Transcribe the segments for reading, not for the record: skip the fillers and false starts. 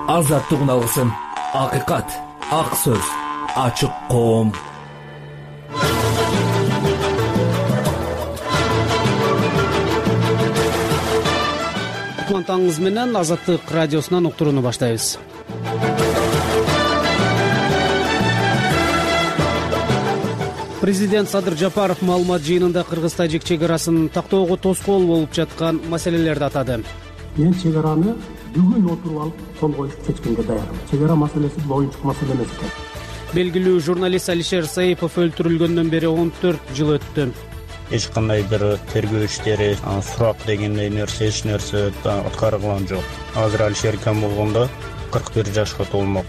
Азаттык алгысым, акыйкат, ак сөз, ачык коом. Таңыңыз менен Азаттык радиосунан уктурууну баштайбыз. Президент Садыр Жапаров маалымат жыйынында Кыргыз-Тажик чек арасын тактоого тоскоол болуп жаткан маселелерди атады. Мен чек араны бүгүн отуруп алып кол коюп чечкенге даярмын. Чек ара маселеси бул оюнчук маселе эмес экен. Белгилүү журналист Алишер Саипов өлтүрүлгөндөн бери 14 жыл өттү. Эч кандай бир тергөө иштери, сурак дегендей нерсе, эч нерсе аткарылган жок. Азыр Алишер кем болгондо 41 жашка толмок.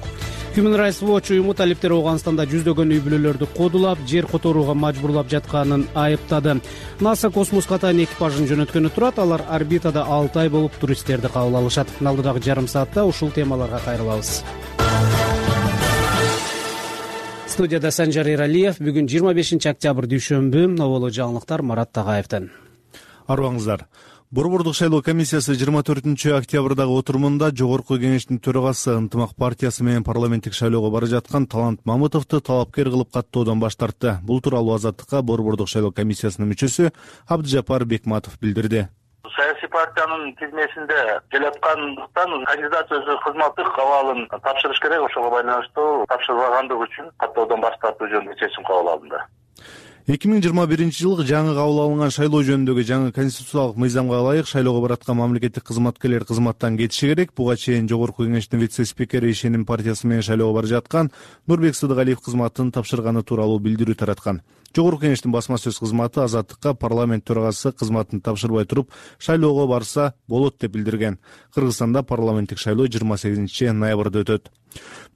Human Rights Watch уюму талиптер Ооганстанда жүздөгөн үй бүлөлөрдү кодулап, жер которууга мажбурлап жатканын айыптады. НАСА космоско тайын экипажын жөнөткөнү турат, алар орбитада 6 ай болуп туристтерди кабыл алышат. Алдыдагы жарым саатта ушул темаларга кайрылабыз. Студияда Санжар Эралиев. Бүгүн 25 октябрь дүйшөмбү. Новоло жаңылыктар Марат Тагаевден. Арбаңыздар. Борбордук шайлоо комиссиясы 24 октябрдагы отурумунда Жогорку кеңештин төрагасы Ынтымак партиясы менен парламенттик шайлоого бара жаткан Талант Мамытовду талапкер кылып каттоодон баш тартты. Бул тууралуу Азаттыкка Борбордук шайлоо комиссиясынын мүчөсү Абдыжапар Бекматов билдирди. Саясий партиянын тизмесинде келаткандыктан кандидат өзү кызматтык абалын тапшырыш керек, ошого байланыштуу тапшырбагандыгы үчүн каттоодон баш тартуу жөнүндө чечим кабыл алынды. 2021-жылы жаңы кабыл алынган шайлоо жөнүндөгү жаңы конституциялык мыйзамга ылайык шайлоого бараткан мамлекеттик кызматкерлер кызматтан кетиши керек. Буга чейин Жогорку кеңештин вице-спикери Ишеним партиясы менен шайлоого бара жаткан Нурбек Сыдыгалиев кызматын тапшырганы тууралуу билдирүү тараткан. Жогорку кеңештин басма сөз кызматы Азаттыкка парламент төрагасы кызматын тапшырбай туруп шайлоого барса болот деп билдирген. Кыргызстанда парламенттик шайлоо 28 ноябрда өтөт.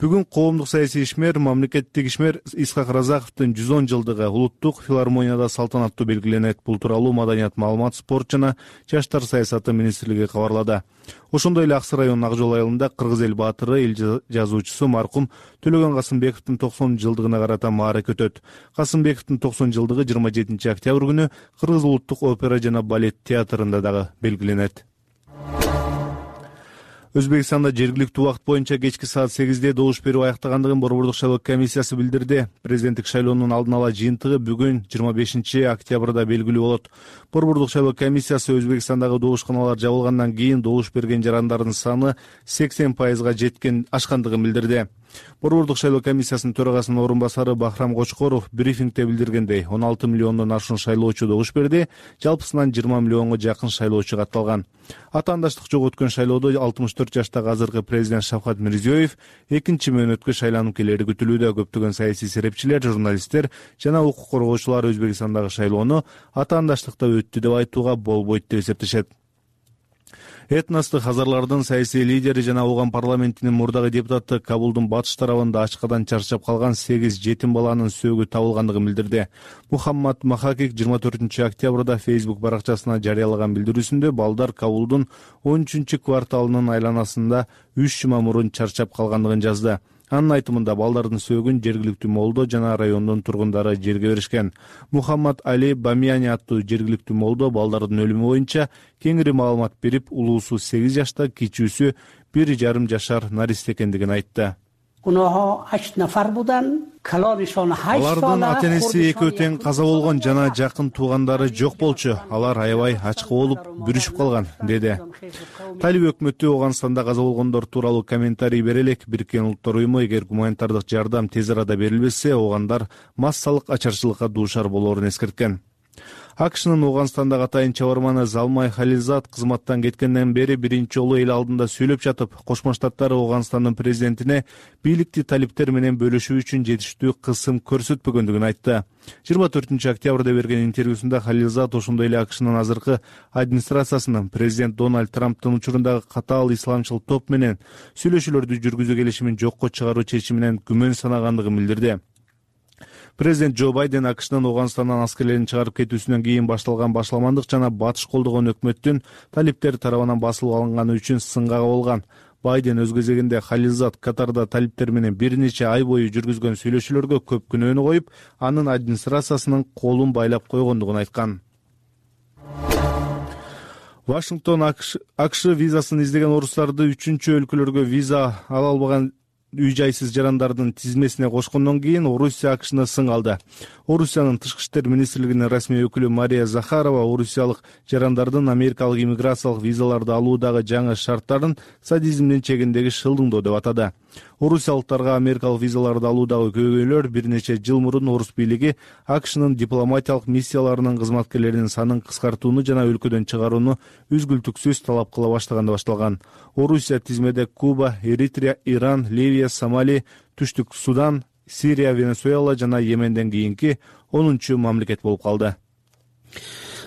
Бүгүн коомдук саясий ишмер, мамлекеттик ишмер Исхак Разаковдун 110 жылдыгы улуттук филармонияда салтанаттуу белгиленет. Бул тууралуу Маданият, маалымат, спорт жана жаштар саясаты министрлиги кабарлады. Ошондой эле Аксы районунун Ак жол айылында кыргыз эл баатыры, эл жазуучусу маркум Төлөгөн Касымбековдун 90 жылдыгына карата маарек өтөт. Касымбековдун 90 жылдыгы 27 октябрь күнү Кыргыз улуттук опера жана балет театрында дагы белгиленет. Өзбекстанда жергиликтүү убакыт боюнча кечки саат 8-де добуш берүү аяктагандыгын Борбордук шайлоо комиссиясы билдирди. Президенттик шайлоонун алдын ала жыйынтыгы бүгүн 25 октябрда белгилүү болот. Борбордук шайлоо комиссиясы Өзбекстандагы добушканалар жабылгандан кийин добуш берген жарандардын саны 80% ашкандыгын билдирди. Борбордук шайлоо комиссиясынын төрагасынын орун басары Бахрам Кочкоров брифингде билдиргендей 16 миллиондон ашуун шайлоочу добуш берди, жалпысынан 20 миллионго жакын шайлоочу катталган. Атаандаштык жок өткөн шайлоодо 64 жаштагы азыркы президент Шавкат Мирзиёев экинчи мөөнөткө шайланып келери күтүлүүдө. Көптөгөн саясий серепчилер, журналисттер жана укук коргоочулар Өзбекстандагы шайлоону атаандаштыкта өттү деп айтууга болбойт деп эсептешет. Этностук хазарлардын саясий лидери жана Ооган парламентинин мурдагы депутаты Кабулдун батыш тарабында ачкадан чарчап калган 8 жетим баланын сөөгү табылгандыгын билдирди. Мухаммад Махакик 24 октябрда Facebook баракчасына жарыялаган билдирүүсүндө балдар Кабулдун 13 кварталынын айланасында 3 жума мурун чарчап калгандыгын жазды. Анын айтымында балдардын сөөгүн жергиликтүү молдо жана райондун тургундары жерге беришкен. Мухаммад Али Бамияни аттуу жергиликтүү молдо балдардын өлүмү боюнча кеңири маалымат берип, улуусу 8 жашта, кичүүсү 1,5 жашар наристе экендигин айтты. Алардын ата-энеси экөө тең каза болгон жана жакын туугандары жок болчу. Алар аябай ачкы болуп, бүрүшүп калган, деди. Талиб өкмөтү Ооганстанда каза болгондор тууралуу комментарий бере элек. Бириккен Улуттар уюму эгер гуманитардык жардам тез арада берилбесе, оогандар массалык ачарчылыкка дуушар болоорун эскерткен. АКШнын Ооганстандагы атайын чабарманы Залмай Халилзад кызматтан кеткенден бери биринчи жолу эл алдында сүйлөп жатып, Кошмо Штаттар Ооганстандын президентине бийликти талиптер менен бөлүшүү үчүн жетиштүү кысым көрсөтпөгөндүгүн айтты. 24 октябрда берген интервьюсунда Халилзад ошондой эле АКШнын азыркы администрациясынын президент Дональд Трамптын учурундагы катаал исламчыл топ менен сүйлөшүүлөрдү жүргүзүү келишимин жокко чыгаруу чечиминен күмөн санагандыгын билдирди. Президент Джо Байден АКШнын Ооганстандан аскерлерин чыгарып кетүүсүнөн кийин башталган башаламандык жана батыш колдогон өкмөттүн талиптер тарабынан басылып алынганы үчүн сынга кабылган. Байден өз кезегинде Халилзад Катарда талиптер менен бир нече ай бою жүргүзгөн сүйлөшүүлөргө көп күнөөнү коюп, анын администрациясынын колун байлап койгондугун айткан. Вашингтон АКШ визасын издеген орустарды үчүнчү өлкөлөргө виза ала албаган үй-жайсыз жарандардын тизмесине кошкондон кийин Орусия АКШны сың алды. Орусиянын тышкы иштер министрлигинин расмий өкүлү Мария Захарова орусиялык жарандардын америкалык иммиграциялык визаларды алуудагы жаңы шарттарын садизмдин чегиндеги шылдыңдоо деп атады. Орусиялыктарга америкалык визаларды алуудагы көйгөйлөр бир нече жыл мурун орус бийлиги АКШнын дипломатиялык миссияларынын кызматкерлеринин санын кыскартууну жана өлкөдөн чыгарууну үзгүлтүксүз талап кыла баштаганда башталган. Орусия тизмеде Куба, Эритрия, Иран, Ливия, Сомали, Түштүк Судан, Сирия, Венесуэла жана Йеменден кийинки 10-чу мамлекет болуп калды.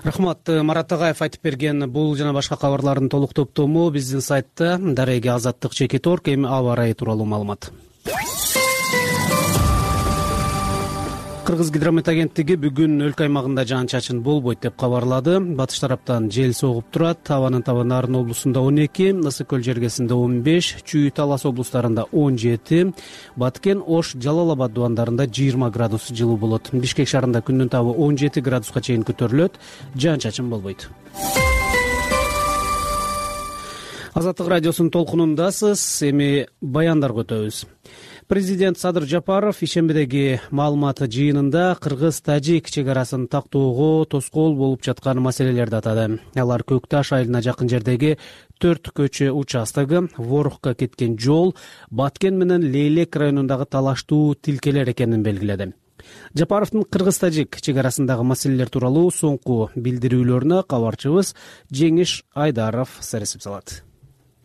Рахмат. Марат Агаев айтып берген бул жана башка кабарлардын толук топтому биздин сайтта дареги Азаттык /. Эми аба ырайы тууралуу маалымат. Кыргыз гидромет агенттиги бүгүн өлкө аймагында жаан-чачын болбойт деп кабарлады. Батыш тараптан жел согуп турат. Абанын табаны Нарын облусунда 12, Ысык көл жергесинде 15, Чүй, Талас облустарында 17, Баткен, Ош, Жалал Абад дубандарында 20 градус жылуу болот. Бишкек шаарында күндүн табы 17 градуска чейин көтөрүлөт. Жаан-чачын болбойт. Азаттык радиосунун толкунундасыз. Эми баяндарга өтөбүз. Президент Садыр Жапаров ишембидеги маалымат жыйынында кыргыз-тажик чек арасын тактоого тоскоол болуп жаткан маселелерди атады. Алар Көкташ айылына жакын жердеги 4 көчө участогу, Ворукка кеткен жол, Баткен менен Лейлек районундагы талаштуу тилкелер экенин белгиледи. Жапаровдун кыргыз-тажик чек арасындагы маселелер тууралуу соңку билдирүүлөрүнө кабарчыбыз Жеңиш Айдаров сересип салат.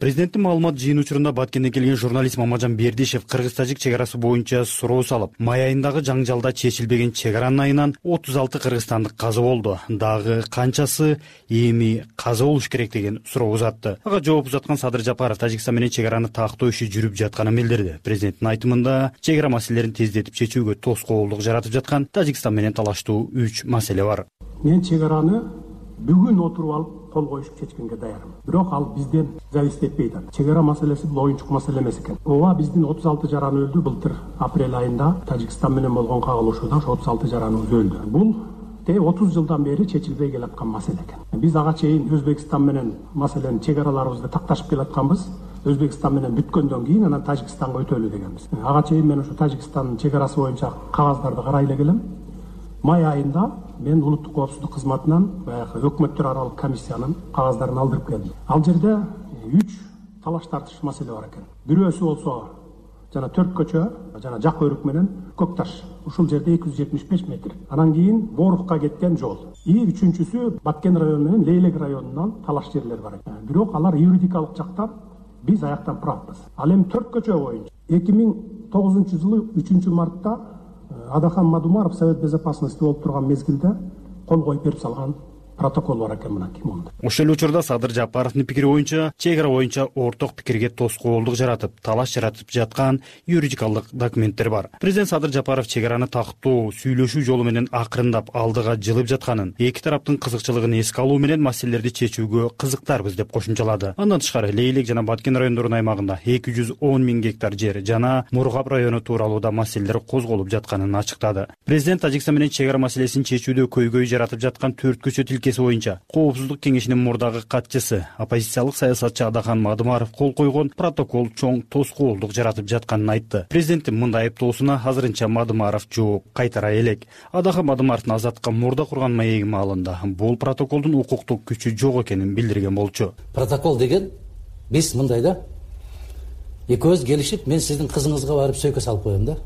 Президенттин маалымат жыйын учурунда Баткенден келген журналист Мамажан Бердишев кыргыз-тажик чек арасы боюнча суроо салып, май айындагы жаңжалда чечилбеген чек аранын айынан 36 кыргызстандык каза болду. Дагы канчасы эми каза болуш керек деген суроо узатты. Ага жооп узаткан Садыр Жапаров Тажикстан менен чек араны тактоо иши жүрүп жатканын билдирди. Президенттин айтымында чек ара маселелерин тездетип чечүүгө тоскоолдук жаратып жаткан Тажикстан менен талаштуу 3 маселе бар. Мен чек араны бүгүн отуруп алып кол коюшуп чечкенге даярмын. Бирок ал бизден зависит этпейт. Чек ара маселеси бул оюнчук маселе эмес экен. Ооба, биздин 36 жараны өлдү. Былтыр апрель айында Тажикстан менен болгон кагылышууда ошо 36 жараныбыз өлдү. Бул 30 жылдан бери чечилбей келаткан маселе экен. Биз ага чейин Өзбекстан менен маселени чек араларыбызды такташып келатканбыз. Өзбекстан менен бүткөндөн кийин анан Тажикстанга өтөлү дегенбиз. Ага чейин мен ошо Тажикстандын чек арасы боюнча кагаздарды карай эле келем. Май айында мен улуттук коопсуздук кызматынан баягы өкмөттөр аралык комиссиянын кагаздарын алдырып келдим. Ал жерде 3 талаш тартыш маселе бар экен. Бирөөсү болсо жана 4 көчө жана Жак Өрүк менен Көкташ. Ушул жерде 275 метр. Анан кийин Борукка кеткен жол. Үчүнчүсү Баткен району менен Лейлек районунан талаш жерлер бар экен. Бирок алар юридикалык жактан биз аяктан правбыз. Ал эми 4 көчө боюнча 2009-жылы 3-мартта Адахан Мадумаров Совет безопасности болуп турган мезгилде кол коюп берип салган протокол бар экен мынакей монда. Ошол эле учурда Садыр Жапаровдун пикири боюнча чек ара боюнча орток пикирге тоскоолдук жаратып, талаш жаратып жаткан юридикалык документтер бар. Президент Садыр Жапаров чек араны тактоо, сүйлөшүү жолу менен акырындап алдыга жылып жатканын, эки тараптын кызыкчылыгын эске алуу менен маселелерди чечүүгө кызыктарбыз деп кошумчалады. Андан тышкары Лейлек жана Баткен райондорунун аймагында 210 миң гектар жер жана Мургап району тууралууда маселелер козголуп жатканын ачыктады. Президент Тажикстан менен чек ара маселесин чечүүдө көйгөй жаратып жаткан 4 көчө тилкеси боюнча Коопсуздук кеңешинин мурдагы катчысы, оппозициялык саясатчы Адахан Мадумаров кол койгон протокол чоң тоскоолдук жаратып жатканын айтты. Президенттин мындай айыптоосуна азырынча Мадумаров жооп кайтара элек. Адахан Мадумаровдун азаттыкка мурда курган маеги маалында бул протоколдун укуктук күчү жок экенин билдирген болчу. Протокол деген биз мындай да экөөбүз келишип, мен сиздин кызыңызга барып сөйкө салып коем да.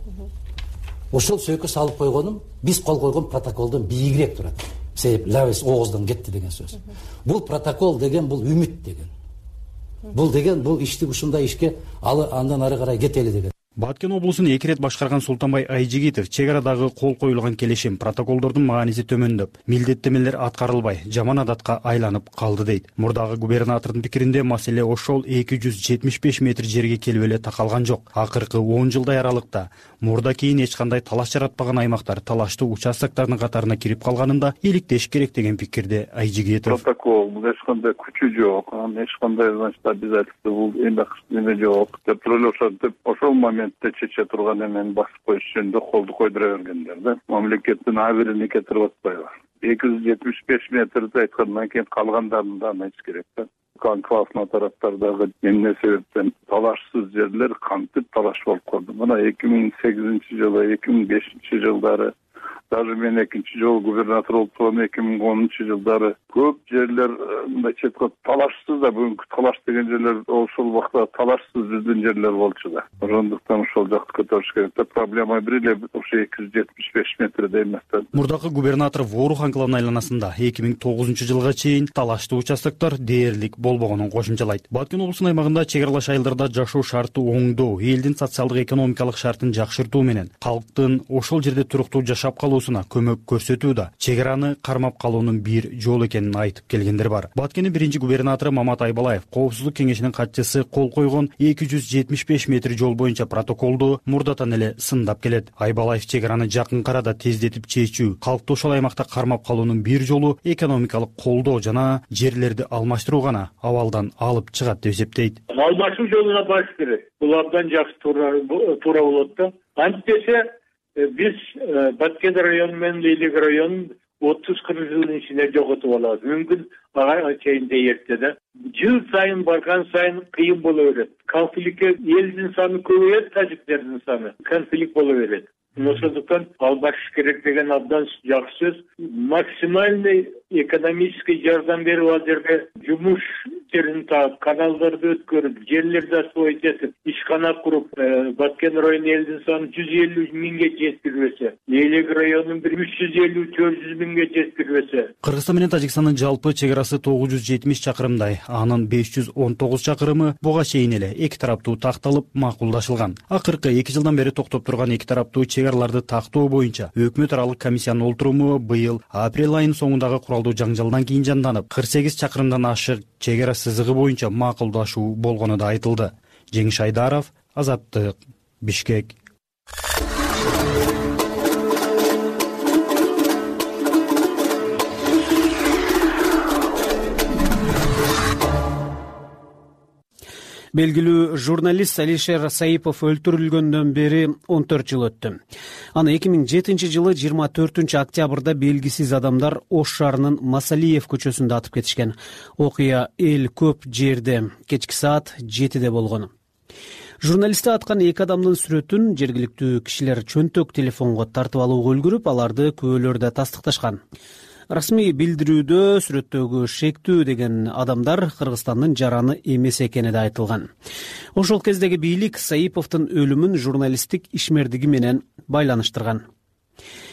Ошол сөйкө салып койгонум биз кол койгон протоколдон бийигирээк турат. Себеп лабыз ооздан кетти деген сөз. Бул протокол деген бул үмүт деген. Бул деген бул ишти ушундай ишке андан ары карай кетели деген. Баткен облусун 2 рет башкарган Султанбай Айжигитов чек арадагы кол коюлган келишим протоколдордун мааниси төмөндөп, милдеттемелер аткарылбай, жаман адатка айланып калды дейт. Мурдагы губернатордун пикиринде маселе ошол 275 метр жерге келип эле такалган жок. Акыркы 10 жылдай аралыкта мурда кийин эч кандай талаш жаратпаган аймактар талаштуу участоктардын катарына кирип калганында иликтеш керек деген пикирде Айжигитов. Протокол бул эч кандай күчү жок, эч кандай обязательство бул эме жок деп турулушат деп ошол чече турган эмени басып коюш жөнүндө колду койдура бергендер да. Мамлекеттин абырын кетирип атпайбы. 275 метрди айткандан кийин калгандарын да айтыш керек да. Анклавный тараптардагы эмне себептен талашсыз жерлер кантип талаш болуп калды. Мына 2008-жылы, 2005-жылдары, даже мен экинчи жолу губернатор болуп турган 2010-жылдары көп жерлер мындайча айтканда талашсыз да, бүгүнкү талаш деген жерлер ошол убакта талашсыз жүздөн жерлер болчу да. Ошондуктан ошол жакты көтөрүш керек да. Проблема бир эле ошо 275 метрде эмес да. Мурдакы губернатор Ворух анклавынын айланасында 2009-жылга чейин талаштуу участоктор дээрлик болбогонун кошумчалайт. Баткен облусунун аймагында чек аралаш айылдарда жашоо шарты оңдоо, элдин социалдык экономикалык шартын жакшыртуу менен калктын ошол жерде туруктуу жашап калуусуна көмөк көрсөтүү да чек араны кармап калуунун бир жолу экенин айтып келгендер бар. Баткендин биринчи губернатору Мамат Айбалаев Коопсуздук кеңешинин катчысы кол койгон 275 метр жол боюнча протоколду мурдатан эле сындап келет. Айбалаев чек араны жакын арада тездетип чечүү, калкты ошол аймакта кармап калуунун бир жолу экономикалык колдоо жана жерлерди алмаштыруу гана абалдан алып чыгат деп эсептейт. Алмашуу жолуна баш керек. Бул абдан жакшы туура болот да. Антиптесе биз Баткен району менен Лейлек районун 30-40 жылдын ичинде жоготуп алабыз. Мүмкүн ага чейин де эрте да. Жыл сайын барган сайын кыйын боло берет. Конфликтке элдин саны көбөйөт, тажиктердин саны. Конфликт боло берет. Ошондуктан албашыш керек деген абдан жакшы сөз. Максимальный экономический жардам берип ал жерге жумуш жерин таап, каналдарды өткөрүп, жерлерди освоить этип, ишкана куруп, Баткен району элдин саны 150 миңге жеткирбесе, Лейлек районун 350-400 миңге жеткирбесе. Кыргызстан менен Тажикстандын жалпы чек арасы 970 чакырымдай, анын 519 чакырымы буга чейин эле эки тараптуу такталып макулдашылган. Акыркы 2 жылдан бери токтоп турган эки тараптуу чек араларды тактоо боюнча өкмөт аралык комиссиянын олтуруму быйыл апрель айынын соңундагы куралдуу жаңжалдан кийин жанданып, 48 чакырымдан ашык чек ара сызыгы боюнча макулдашуу болгону да айтылды. Жеңиш Айдаров, Азаттык, Бишкек. Белгилүү журналист Алишер Саипов өлтүрүлгөндөн бери 14 жыл өттү. Аны 2007 жылы 24 октябрда белгисиз адамдар Ош шаарынын Масалиев көчөсүндө атып кетишкен. Окуя эл көп жерде кечки саат 7-де болгон. Журналистти аткан эки адамдын сүрөтүн жергиликтүү кишилер чөнтөк телефонго тартып алууга үлгүрүп, аларды күбөлөрдө тастыкташкан. Расмий билдирүүдө сүрөттөгү шектүү деген адамдар Кыргызстандын жараны эмес экени да айтылган. Ошол кездеги бийлик Саиповдун өлүмүн журналисттик ишмердиги менен байланыштырган.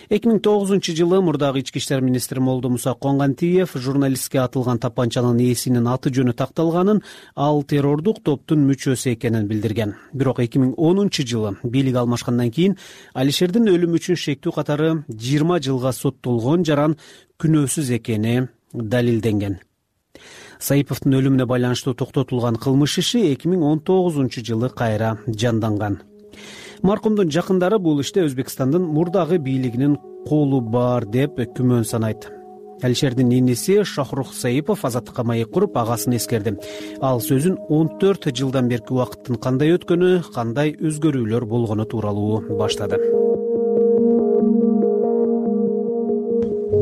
2009 жылы мурдагы ички иштер министри Молдомуса Коңгантиев журналистке атылган тапанчанын ээсинин аты жөнү такталганын, ал террордук топтун мүчөсү экенин билдирген. Бирок 2010 жылы бийлик алмашкандан кийин Алишердин өлүмү үчүн шектүү катары 20 жылга соттолгон жаран күнөөсүз экени далилденген. Саиповдун өлүмүнө байланыштуу токтотулган кылмыш иши 2019 жылы кайра жанданган. Маркумдун жакындары бул иште Өзбекстандын мурдагы бийлигинин колу бар деп күмөн санайт. Алишердин иниси Шахрух Саипов Азаттыкка маек куруп, агасын эскерди. Ал сөзүн 14 жылдан берки убакыттын кандай өткөнү, кандай өзгөрүүлөр болгону тууралуу баштады.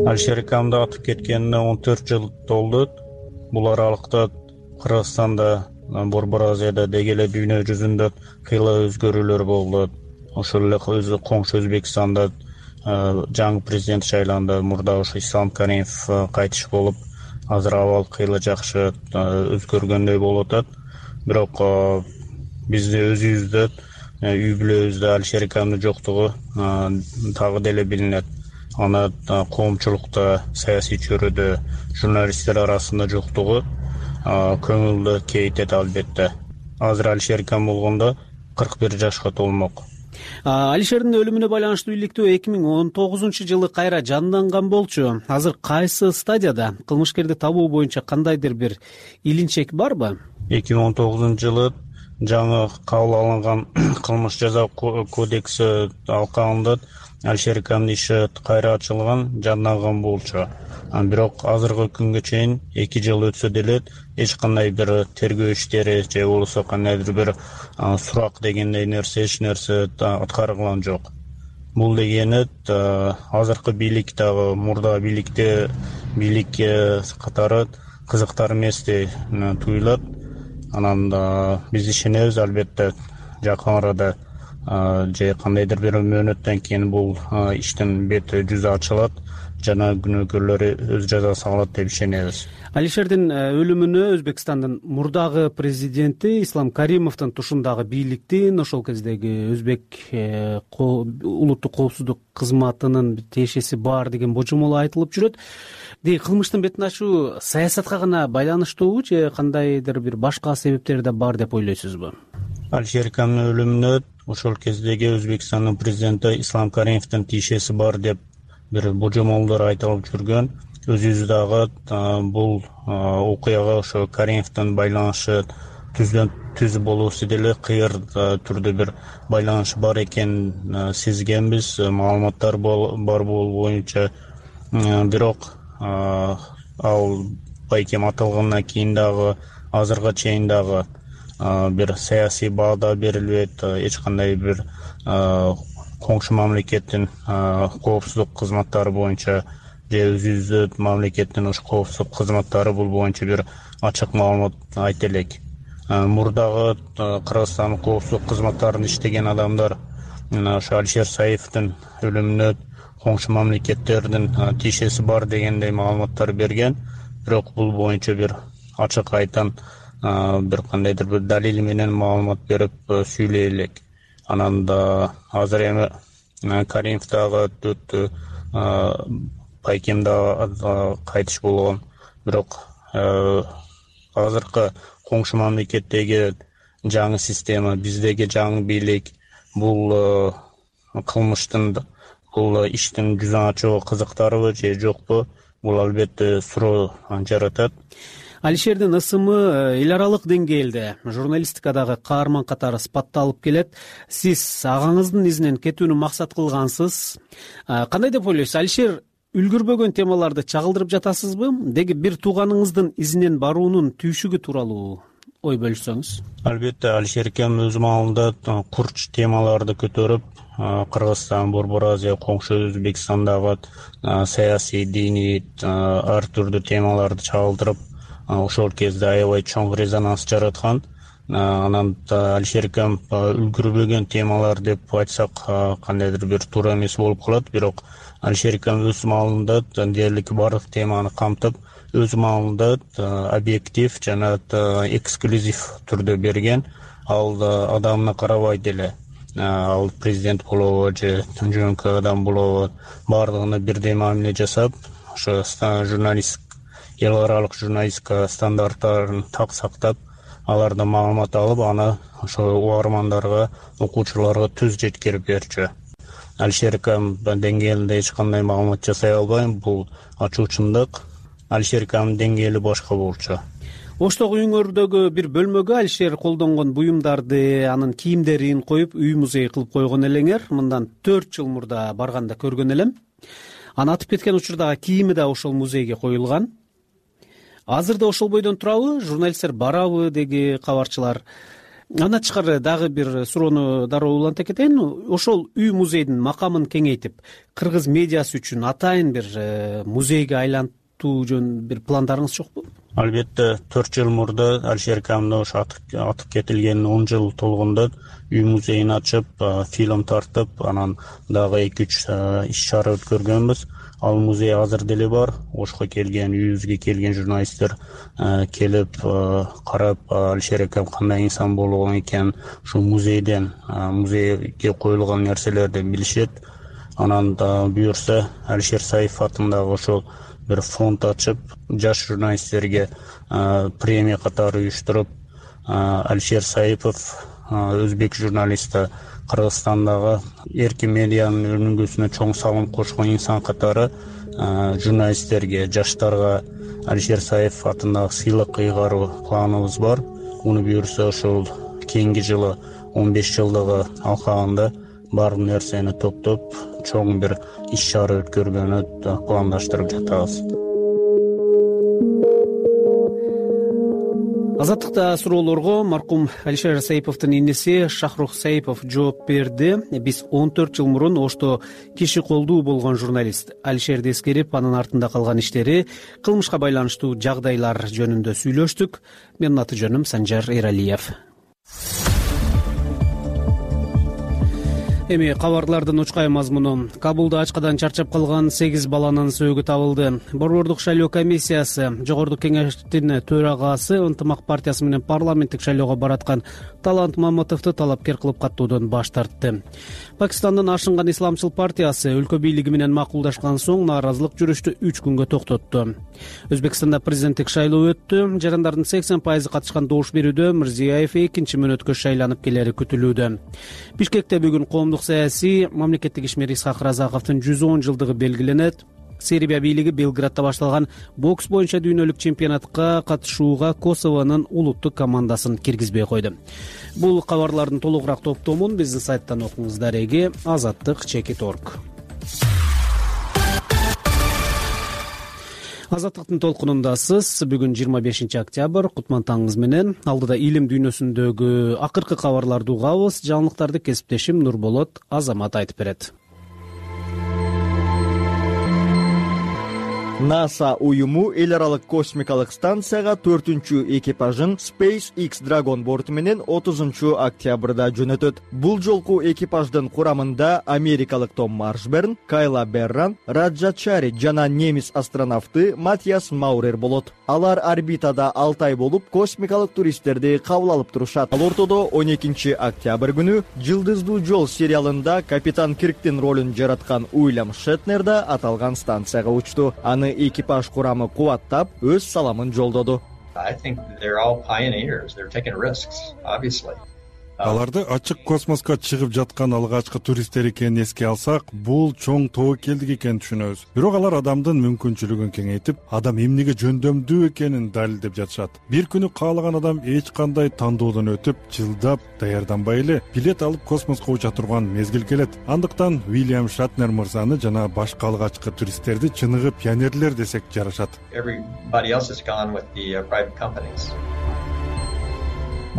Алишер акамды атып кеткенине 14 жыл толду. Бул аралыкта Кыргызстанда, Борбор Азияда деги эле дүйнө жүзүндө кыйла өзгөрүүлөр болду. Ошол эле коңшу Өзбекстанда жаңы президент шайланды. Мурда ошо Ислам Каримов кайтыш болуп, азыр абал кыйла жакшы өзгөргөндөй болуп атат. Бирок бизде өзүбүздө, үй бүлөбүздө Алишер акамдын жоктугу дагы деле билинет. Аны коомчулукта, саясий чөйрөдө, журналисттер арасында жоктугу көңүлдү кейтет албетте. Азыр Алишер акам болгондо 41 жашка толмок. Алишердин өлүмүнө байланыштуу иликтөө 2019 жылы кайра жанданган болчу. Азыр кайсы стадияда? Кылмышкерди табуу боюнча кандайдыр бир илинчек барбы? 2019 жылы жаңы кабыл алынган кылмыш жаза кодекси алкагында Алишер акамдын иши кайра ачылган, жанданган болчу. Бирок азыркы күнгө чейин 2 жыл өтсө деле эч кандай бир тергөө иштери же болбосо кандайдыр бир сурак дегендей нерсе, эч нерсе аткарылган жок. Бул дегени азыркы бийлик дагы мурда бийлик катары кызыктар эмес деп туюлат. Анан биз ишенебиз, албетте жакын арада же кандайдыр бир мөөнөттөн кийин бул иштин бети жүзү ачылат, жана күнөөкөрлөр өз жазасын алат деп ишенебиз. Алишердин өлүмүнө Өзбекстандын мурдагы президенти Ислам Каримовдун тушундагы бийликтин, ошол кездеги Өзбек улуттук коопсуздук кызматынын тиешеси бар деген божомол айтылып жүрөт. Кылмыштын бетин ачуу саясатка гана байланыштуубу же кандайдыр бир башка себептери да бар деп ойлойсузбу? Алишер Каминовдун өлүмүнө ошол кездеги Өзбекстандын президенти Ислам Каримовдун тиешеси бар деп бир божомолдор айтылып жүргөн. Өзүбүз дагы бул окуяга ошо Каримовдун байланышы түз болуусу деле кыйыр түрдө бир байланышы бар экенин сезгенбиз, маалыматтар бар болуу боюнча. Бирок ал байкем атылгандан кийин дагы азыркыга чейин дагы бир саясий баада берилбейт, эч кандай бир коңшу мамлекеттин коопсуздук кызматтары боюнча же өзүбүздүн мамлекеттин ош коопсуздук кызматтары бул боюнча бир ачык маалымат айта элек. Мурдагы Кыргызстандын коопсуздук кызматтарында иштеген адамдар ошо Алишер Саиповдун өлүмүнө коңшу мамлекеттердин тиешеси бар дегендей маалыматтар берген. Бирок бул боюнча бир ачык айтан бир кандайдыр бир далил менен маалымат берип сүйлөй элек. Анан да азыр эми Каримов дагы байкем да кайтыш болгон. Бирок азыркы коңшу мамлекеттеги жаңы система, биздеги жаңы бийлик бул кылмыштын, бул иштин жүзүн ачууга кызыктарбы же жокпу? Бул албетте суроо жаратат. Алишердин ысымы эл аралык деңгээлде журналистикадагы каарман катары сыпатталып келет. Сиз агаңыздын изинен кетүүнү максат кылгансыз. Кандай деп ойлойсуз? Алишер үлгүрбөгөн темаларды чагылдырып жатасызбы? Деги бир тууганыңыздын изинен баруунун түйшүгү тууралуу ой бөлүшсөңүз. Албетте Алишер Кем өз маалында курч темаларды көтөрүп, Кыргызстан, Борбор Азия, коңшу Өзбекстандагы саясий, диний ар түрдүү темаларды чагылдырып, ошол кезде аябай чоң резонанс жараткан. Анан Алишер Кем үлгүрбөгөн темалар деп айтсак кандайдыр бир туура эмес болуп калат. Бирок Алишер Кем өз маалында дээрлик бардык теманы камтып, өз маалында объектив жана эксклюзив түрдө берген. Ал адамына карабайт эле. Ал президент болобу же жөнөкөй адам болобу, бардыгына бирдей мамиле жасап, ошо эл аралык журналистика стандарттарын так сактап, алардан маалымат алып, аны ошо угармандарга, окуучуларга түз жеткирип берчү. Алишер Кем деңгээлинде эч кандай маалымат жасай албайм, бул ачуучундук. Алишер Кем деңгээли башка болчу. Оштогу үйүңөрдөгү бир бөлмөгө Алишер колдонгон буюмдарды, анын кийимдерин коюп, үй музей кылып койгон элеңер. Мындан 4 жыл мурда барганда көргөн элем. Анын атып кеткен учурдагы кийими да ошол музейге коюлган. Азырда ошол бойдон турабы? Журналисттер барабы деги кабарчылар. Андан тышкары дагы бир суроону дароо уланта кетейин. Ошол үй музейдин макамын кеңейтип, кыргыз медиасы үчүн атайын бир музейге айлантуу жөн бир пландарыңыз жокпу? Албетте 4 жыл мурда Алишер Каминовдун ошо атып кетилген 10 жыл толгондо үй музейин ачып, фильм тартып, анан дагы 2-3 иш-чара өткөргөнбүз. Ал музей азыр деле бар. Ошко келген, үйүбүзгө келген журналисттер келип карап, Алишер Кем кандай инсан болгон экен, ушул музейден, музейге коюлган нерселерди билишет. Анан да буюрса Алишер Саипов атындагы ошол бир фонд ачып, жаш журналисттерге премия катары уюштуруп, Алишер Саипов өзбек журналисти, Кыргызстандагы эркин медианын өнүгүүсүнө чоң салым кошкон инсан катары журналисттерге, жаштарга Алишер Саипов атындагы сыйлык ыйгаруу планыбыз бар. Муну буюрса ошол кийинки жылы 15 жылдыгы алкагында бар нерсени топтоп, чоң бир иш-чара өткөргөнү пландаштырып жатабыз. Азаттыкта суроолорго маркум Алишер Саиповдун иниси Шахрух Саипов жооп берди. Биз 14 жыл мурун Ошто киши колдуу болгон журналист Алишерди эскерип, анын артында калган иштери, кылмышка байланыштуу жагдайлар жөнүндө сүйлөштүк. Менин аты жөнүм Санжар Эралиев. Эми кабарлардын учкай мазмуну. Кабулда ачкадан чарчап калган 8 баланын сөөгү табылды. Борбордук шайлоо комиссиясы Жогорку кеңештин төрагасы Ынтымак партиясы менен парламенттик шайлоого бараткан Талант Маматовду талапкер кылып каттуудан баш тартты. Пакистандын Ашынган исламчыл партиясы өлкө бийлиги менен макулдашкан соң нааразылык жүрүштү 3 күнгө токтотту. Өзбекстанда президенттик шайлоо өттү. Жарандардын 80% катышкан добуш берүүдө Мирзиёев 2-чи мөөнөткө шайланып келери күтүлүүдө. Бишкекте бүгүн коомдук саясий мамлекеттик ишмер Исхак Разаковдун 110 жылдыгы белгиленет. Сербия бийлиги Белградда башталган бокс боюнча дүйнөлүк чемпионатка катышууга Косовонун улуттук командасын киргизбей койду. Бул кабарлардын толугураак топтомун биздин сайттан окуңуз. Дареги azattik.org. Азаттыктын толкунундасыз. Бүгүн 25 октябрь, кутман таңыңыз менен. Алдыда илим дүйнөсүндөгү акыркы кабарларды угабыз. Жаңылыктарды кесиптешим Нурболот Азамат айтып берет. НАСА уюму эл аралык космикалык станцияга 4-чү экипажын SpaceX Dragon борту менен 30 октябрда жөнөтөт. Бул жолку экипаждын курамында америкалык Том Маршберн, Кайла Берран, Раджачари жана немис астронавты Матиас Маурер болот. Алар орбитада 6 ай болуп, космикалык туристтерди кабыл алып турушат. Ал ортодо 12 октябрь күнү Жылдыздуу жол сериалында капитан Кирктин ролун жараткан Уильям Шетнер да аталган станцияга учту. Аны экипаж курамы кубаттап, өз саламын жолдоду. Аларды ачык космоско чыгып жаткан алгачкы туристтер экенин эске алсак, бул чоң тобокелдик экенин түшүнөбүз. Бирок алар адамдын мүмкүнчүлүгүн кеңейтип, адам эмнеге жөндөмдүү экенин далилдеп жатышат. Бир күнү каалаган адам эч кандай тандоодон өтүп, жылдап даярданбай эле билет алып космоско уча турган мезгил келет. Андыктан Уильям Шетнер мырзаны жана башка алгачкы туристтерди чыныгы пионерлер десек жарашат.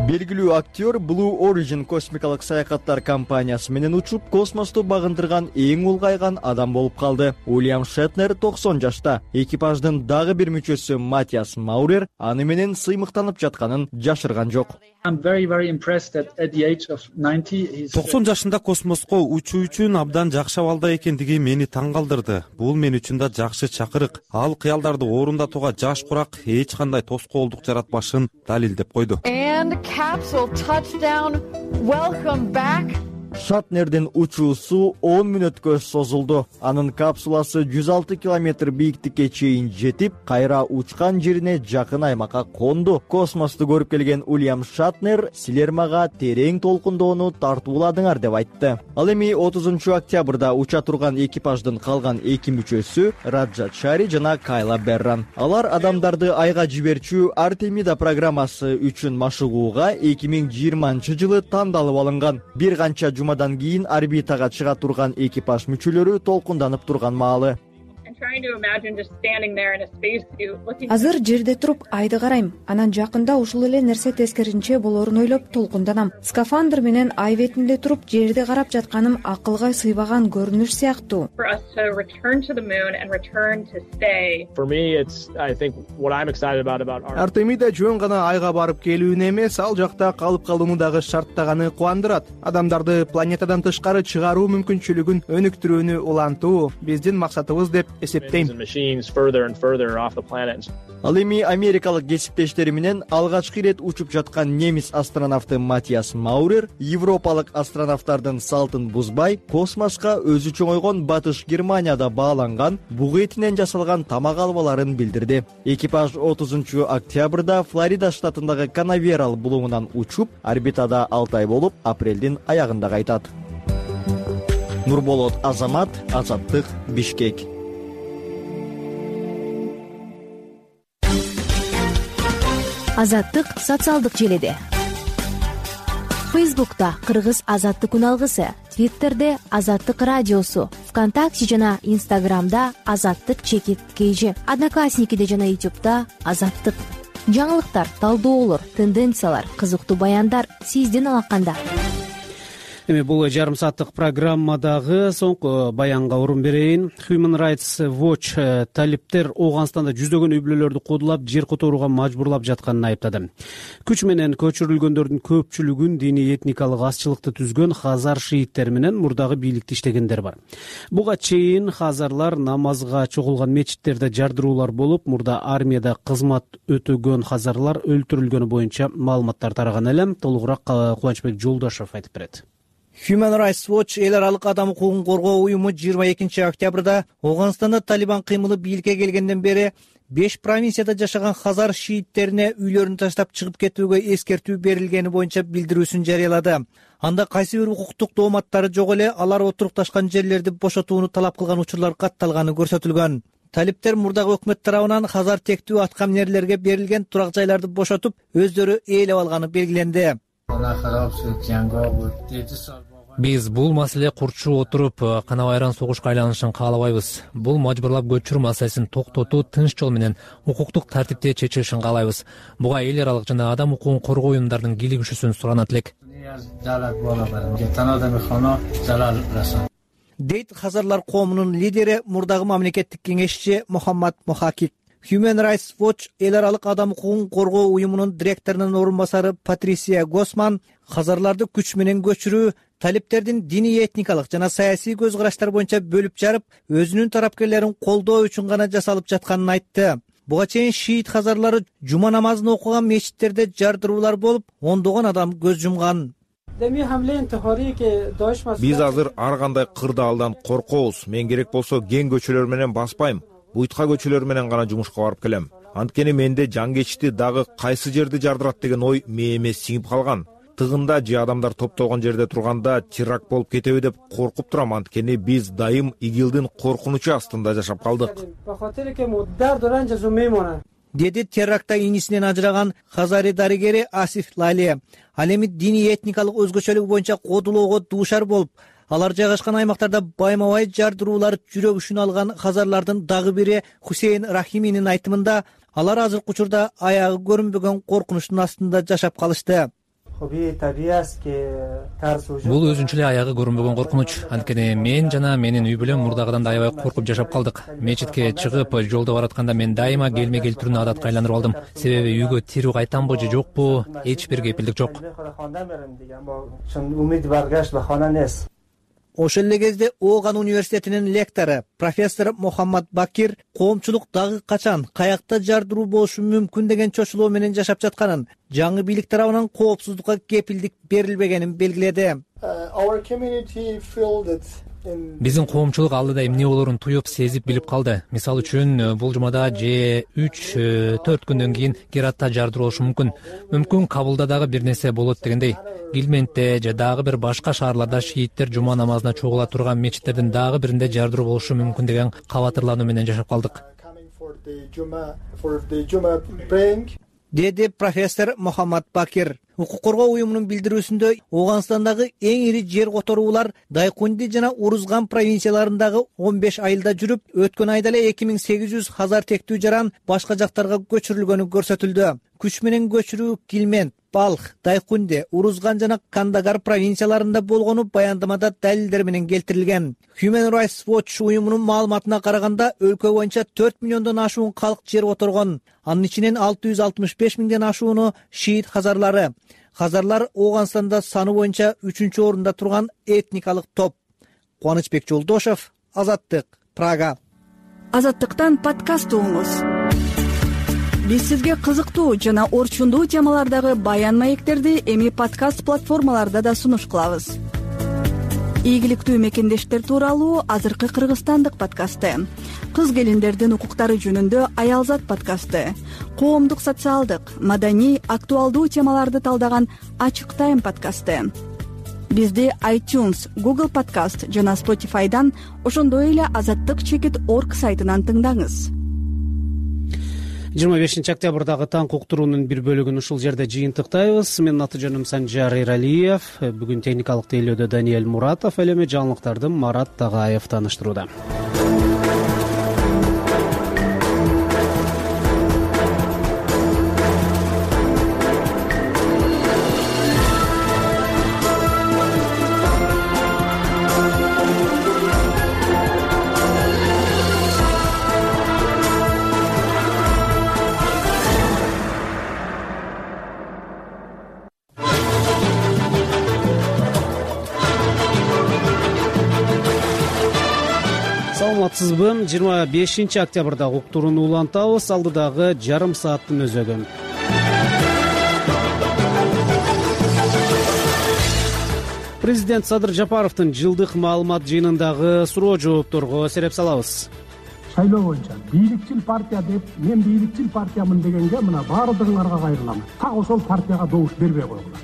Белгилүү актер Blue Origin космикалык саякаттар компаниясы менен учуп, космосту багындырган эң улгайган адам болуп калды. Уильям Шетнер 90 жашта. Экипаждын дагы бир мүчөсү Матиас Маурер аны менен сыймыктанып жатканын жашырган жок. 90 жашында космоско учуу үчүн абдан жакшы абалда экендиги мени таң калтырды. Бул мен үчүн да жакшы чакырык. Ал кыялдарды орундатууга жаш курак эч кандай тоскоолдук жаратпашын далилдеп койду. Шетнердин учуусу 10 мүнөткө созулду. Анын капсуласы 106 километр бийиктикке чейин жетип, кайра учкан жерине жакын аймакка конду. Космосту көрүп келген Уильям Шетнер силер мага терең толкундоону тартууладыңар деп айтты. Ал эми 30 октябрда уча турган экипаждын калган 2 мүчөсү Раджачари жана Кайла Берран. Алар адамдарды айга жиберчү Артемида программасы үчүн машыгууга 2020 жылы тандалып алынган. Бир канча жумадан кийин орбитага чыга турган экипаж мүчөлөрү толкунданып турган маалы. Азыр жерде туруп айды карайм. Анан жакында ушул эле нерсе тескеринче болорун ойлоп толкунданам. Скафандр менен ай бетинде туруп жерди карап жатканым акылга сыйбаган көрүнүш сыяктуу. Артемида жөн гана айга барып келүүнү эмес, ал жакта калып калууну дагы шарттаганы кубандырат. Адамдарды планетадан тышкары чыгаруу мүмкүнчүлүгүн өнүктүрүүнү улантуу биздин максатыбыз деп эсептейм. Ал эми америкалык кесиптештери менен алгачкы ирет учуп жаткан немис астронавты Матиас Маурер европалык астронавттардын салтын бузбай, космоско өзү чоңойгон Батыш Германияда бааланган буг этинен жасалган тамак албаларын билдирди. Экипаж 30 октябрда Флорида штатындагы Канаверал булуңунан учуп, орбитада 6 ай болуп, апрелдин аягында кайтат. Нурболот Азамат, Азаттык, Бишкек. Азаттык социалдык желеде. Фейсбукта Кыргыз Азаттык күн алгысы, Твиттерде Азаттык радиосу, ВКонтакте жана Инстаграмда Азаттык _KG, Одноклассникиде жана Ютубда Азаттык. жаңылыктар, талдоолор, тенденциялар, кызыктуу баяндар сиздин алаканда. Эми бул жарым сааттык программадагы соңку баянга орун берейин. Human Rights Watch талиптер Ооганстанда жүздөгөн үй бүлөлөрдү кодулап, жер которууга мажбурлап жатканын айыптады. Күч менен көчүрүлгөндөрдүн көпчүлүгүн диний этникалык азчылыкты түзгөн хазар шииттер менен мурдагы бийликти иштегендер бар. Буга чейин хазарлар намазга чогулган мечиттерде жардыруулар болуп, мурда армияда кызмат өтөгөн хазарлар өлтүрүлгөнү боюнча маалыматтар тараган эле. Толугураак Кубанычбек Жолдошов айтып берет. Human Rights Watch эл аралык адам укугун коргоо уюму 22 октябрда Ооганстанда Талибан кыймылы бийликке келгенден бери 5 провинцияда жашаган хазар шииттерине үйлөрүн таштап чыгып кетүүгө эскертүү берилгени боюнча билдирүүсүн жарыялады. Анда кайсы бир укуктук дооматтары жок эле алар отурукташкан жерлерди бошотууну талап кылган учурлар катталганы көрсөтүлгөн. Талиптер мурдагы өкмөт тарабынан хазар тектүү аткаминерлерге берилген турак жайларды бошотуп, өздөрү ээлеп алганы белгиленди. Биз бул маселе курчу отуруп, кана байран согушка айланышын каалабайбыз. Бул мажбурлап көчүрүү маселесин токтотуу тынч жол менен укуктук тартипте чечилишин каалайбыз. Буга эл аралык жана адам укугун коргоо уюмдарынын кийлигишүүсүн суранат элек. Дейт хазарлар коомунун лидери, мурдагы мамлекеттик кеңешчи Мухаммад Мухакик. Human Rights Watch эл аралык адам укугун коргоо уюмунун директорунун орун басары Патрисия Госман хазарларды күч менен көчүрүү, талиптердин диний этникалык жана саясий көз караштар боюнча бөлүп жарып, өзүнүн тарапкерлерин колдоо үчүн гана жасалып жатканын айтты. Буга чейин шиит хазарлары жума намазын окуган мечиттерде жардыруулар болуп, ондогон адам көз жумган. Биз азыр ар кандай кырдаалдан коркобуз. Мен керек болсо кең көчөлөр менен баспайм. Буйтка көчөлөр менен гана жумушка барып келем. Анткени менде жан кечти дагы кайсы жерди жардырат деген ой мээме сиңип калган. Тыгында же адамдар топтолгон жерде турганда теракт болуп кетеби деп коркуп турам. Анткени биз дайым ИГИЛдин коркунучу астында жашап калдык. Деди терактта инисинен ажыраган хазари дарыгери Асиф Лали. Ал эми диний этникалык өзгөчөлүгү боюнча кодулоого дуушар болуп, алар жайгашкан аймактарда байма-бай жардыруулар жүрөгүшүн алган хазарлардын дагы бири Хусейн Рахиминин айтымында, алар азыркы учурда аягы көрүнбөгөн коркунучтун астында жашап калышты. Бул өзүнчө эле аягы көрүнбөгөн коркунуч. Анткени мен жана менин үй бүлөм мурдагыдан да аябай коркуп жашап калдык. Мечитке чыгып, жолдо баратканда мен дайыма келме-кел түрүнө адатка айландырып алдым. Себеби үйгө тирүү кайтамбы же жокпу, эч бир кепилдик жок. Ошол эле кезде Ооган университетинин лектору профессор Мухаммад Бакир коомчулук дагы качан, каякта жардыруу болушу мүмкүн деген чочулоо менен жашап жатканын, жаңы бийлик тарабынан коопсуздукка кепилдик берилбегенин белгиледи. Биздин коомчулук алдыда эмне болоорун туюп, сезип билип калды. Мисалы үчүн, бул жумада же 3-4 күндөн кийин Гератта жардыруу болушу мүмкүн. Мүмкүн Кабулда дагы бир нерсе болот дегендей. Гилментте же дагы бир башка шаарларда шииттер жума намазына чогула турган мечиттердин дагы биринде жардыруу болушу мүмкүн деген кабатырлануу менен жашап калдык. Деди профессор Мухаммад Бакир. Укук коргоо уюмунун билдирүүсүндө Ооганстандагы эң ири жер которуулар Дайкунди жана Урузган провинцияларындагы 15 айылда жүрүп, өткөн айда эле 2800 хазар тектүү жаран башка жактарга көчүрүлгөнү көрсөтүлдү. Күч менен көчүрүү Килмент, Балх, Дайкунди, Урузган жана Кандагар провинцияларында болгону баяндамада далилдер менен келтирилген. Human Rights Watch уюмунун маалыматына караганда, өлкө боюнча 4 миллиондон ашуун калк жер которгон. Анын ичинен 665 миңден ашууну шиит хазарлары. Хазарлар Ооганстанда саны боюнча 3-орунда турган этникалык топ. Кубанычбек Жолдошов, Азаттык, Прага. Азаттыктан подкаст угуңуз. Биз сизге кызыктуу жана орчундуу темалардагы баян маектерди эми подкаст платформаларда да сунуш кылабыз. Ийгиликтүү мекендештер тууралуу азыркы кыргызстандык подкасты, кыз келиндердин укуктары жөнүндө Аялзат подкасты, коомдук социалдык, маданий, актуалдуу темаларды талдаган Ачык Тайм подкасты. Бизди iTunes, Google Podcast жана Spotify'дан, ошондой эле azattyk.org сайтынан тыңдаңыз. 25 октябрдагы таң уктуруунун бир бөлүгүн ушул жерде жыйынтыктайбыз. Менин аты жөнүм Санжар Эралиев. Бүгүн техникалык тейлөөдө Даниэль Муратов, ал эми жаңылыктарды Марат Тагаев тааныштырууда. саламатсызбы? 25 октябрда уктурууну улантабыз. Алдыдагы жарым сааттын өзөгү. Президент Садыр Жапаровдун жылдык маалымат жыйынындагы суроо жоопторго сереп салабыз. Шайлоо боюнча бийликчил партия деп, мен бийликчил партиямын дегенге мына баардыгыңарга кайрылам. Так ошол партияга добуш бербей койгула.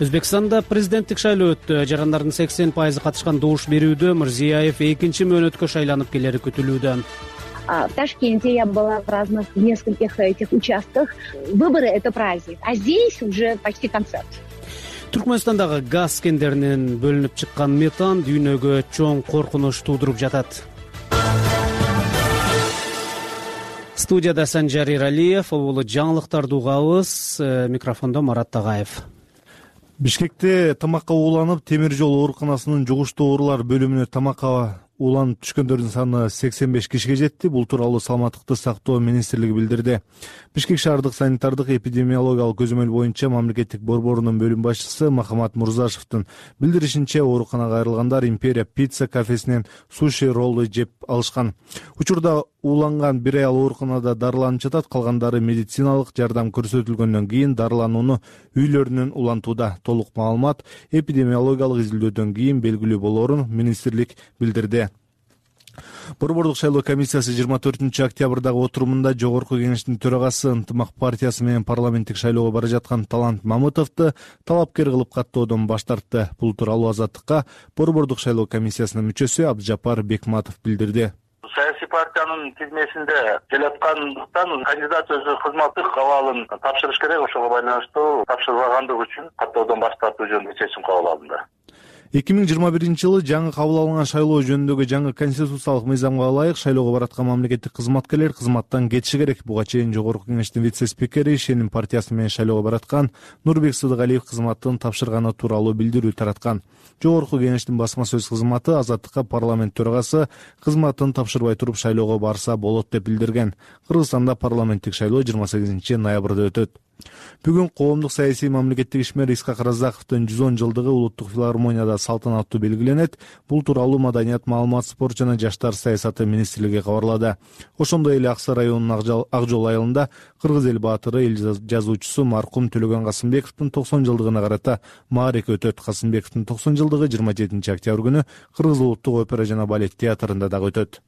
Өзбекстанда президенттик шайлоо өттү. Жарандардын 80% катышкан добуш берүүдө Мирзиёев экинчи мөөнөткө шайланып келери күтүлүүдө. В Ташкенте я была в разных, в нескольких этих участках. Выборы — это праздник, а здесь уже почти концерт. Түркмөнстандагы газ кендеринен бөлүнүп чыккан метан дүйнөгө чоң коркунуч туудуруп жатат. Студияда Санжар Иралиев, бул жаңылыктарды угабыз. Микрофондо Марат Тагаев. Бишкекте тамакка ууланып, темир жол ооруканасынын жугуштуу оорулар бөлүмүнө тамакка ууланып түшкөндөрдүн саны 85 кишиге жетти. Бул тууралуу Саламаттыкты сактоо министрлиги билдирди. Бишкек шаардык санитардык эпидемиологиялык көзөмөл боюнча мамлекеттик борборунун бөлүм башчысы Махамат Мурзашевдин билдиришинче, ооруканага айрылгандар Империя пицца кафесинен суши роллу жеп алышкан. Учурда ууланган бир аял ооруканада дарыланып жатат, калгандары медициналык жардам көрсөтүлгөндөн кийин дарыланууну үйлөрүнөн улантууда. Толук маалымат эпидемиологиялык изилдөөдөн кийин белгилүү болоорун министрлик билдирди. Борбордук шайлоо комиссиясы 24 октябрдагы отурумунда Жогорку кеңештин төрагасы Ынтымак партиясы менен парламенттик шайлоого бара жаткан Талант Мамытовду талапкер кылып каттоодон баш тартты. Бул тууралуу Азаттыкка борбордук шайлоо комиссиясынын мүчөсү Абдыжапар Бекматов билдирди. Саясий партиянын тизмесинде келаткандыктан кандидат өзү кызматтык абалын тапшырыш керек, ошого байланыштуу тапшырбагандыгы үчүн каттоодон баш тартуу жөнүндө чечим кабыл алынды. 2021 жылы жаңы кабыл алынган шайлоо жөнүндөгү жаңы конституциялык мыйзамга ылайык шайлоого бараткан мамлекеттик кызматкерлер кызматтан кетиши керек. Буга чейин Жогорку кеңештин вице-спикери, Шеним партиясы менен шайлоого бараткан Нурбек Сыдыгалиев кызматтын тапшырганы тууралуу билдирүү тараткан. Жогорку кеңештин басма сөз кызматы Азаттыкка парламент төрагасы кызматын тапшырбай туруп шайлоого барса болот деп билдирген. Кыргызстанда парламенттик шайлоо 28 ноябрда өтөт. Бүгүн коомдук саясий мамлекеттик ишмер Искак Разаковдун 110 жылдыгы улуттук филармонияда салтанаттуу белгиленет. Бул тууралуу Маданият, маалымат, спорт жана жаштар саясаты министрлиги кабарлады. Ошондой эле Аксы районунун Ак жол айылында кыргыз эл баатыры, эл жазуучусу маркум Төлөгөн Касымбековдун 90 жылдыгына карата маареке өтөт. Касымбековдун 90 жылдыгы 27 октябрь күнү Кыргыз улуттук опера жана балет театрында дагы өтөт.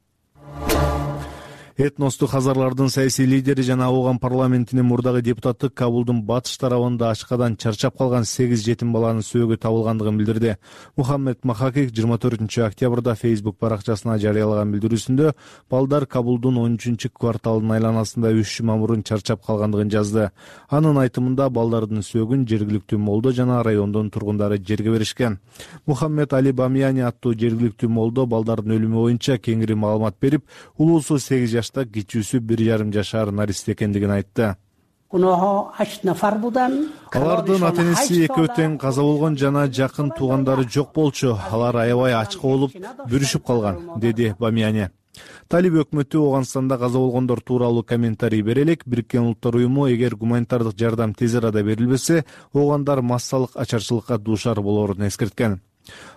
Этностук хазарлардын саясий лидери жана Ооган парламентинин мурдагы депутаты Кабулдун батыш тарабында ачкадан чарчап калган 8 жетим баланын сөөгү табылгандыгын билдирди. Мухаммед Махакик 24 октябрда Facebook баракчасына жарыялаган билдирүүсүндө балдар Кабулдун 13-кварталынын айланасында 3 жума мурун чарчап калгандыгын жазды. Анын айтымында балдардын сөөгүн жергиликтүү молдо жана райондун тургундары жерге беришкен. Мухаммед Али Бамияни аттуу жергиликтүү молдо балдардын өлүмү боюнча кеңири маалымат берип, улуусу 8 жашта, кичүүсү 1,5 жашар нарист экендигин айтты. Алардын ата-энеси экөө тең каза болгон жана жакын туугандары жок болчу. Алар аябай ачка болуп, бүрүшүп калган, деди Бамияни. Талиб өкмөтү Ооганстанда каза болгондор тууралуу комментарий бере элек. Бириккен Улуттар уюму эгер гуманитардык жардам тез арада берилбесе, оогандар массалык ачарчылыкка дуушар болоорун эскерткен.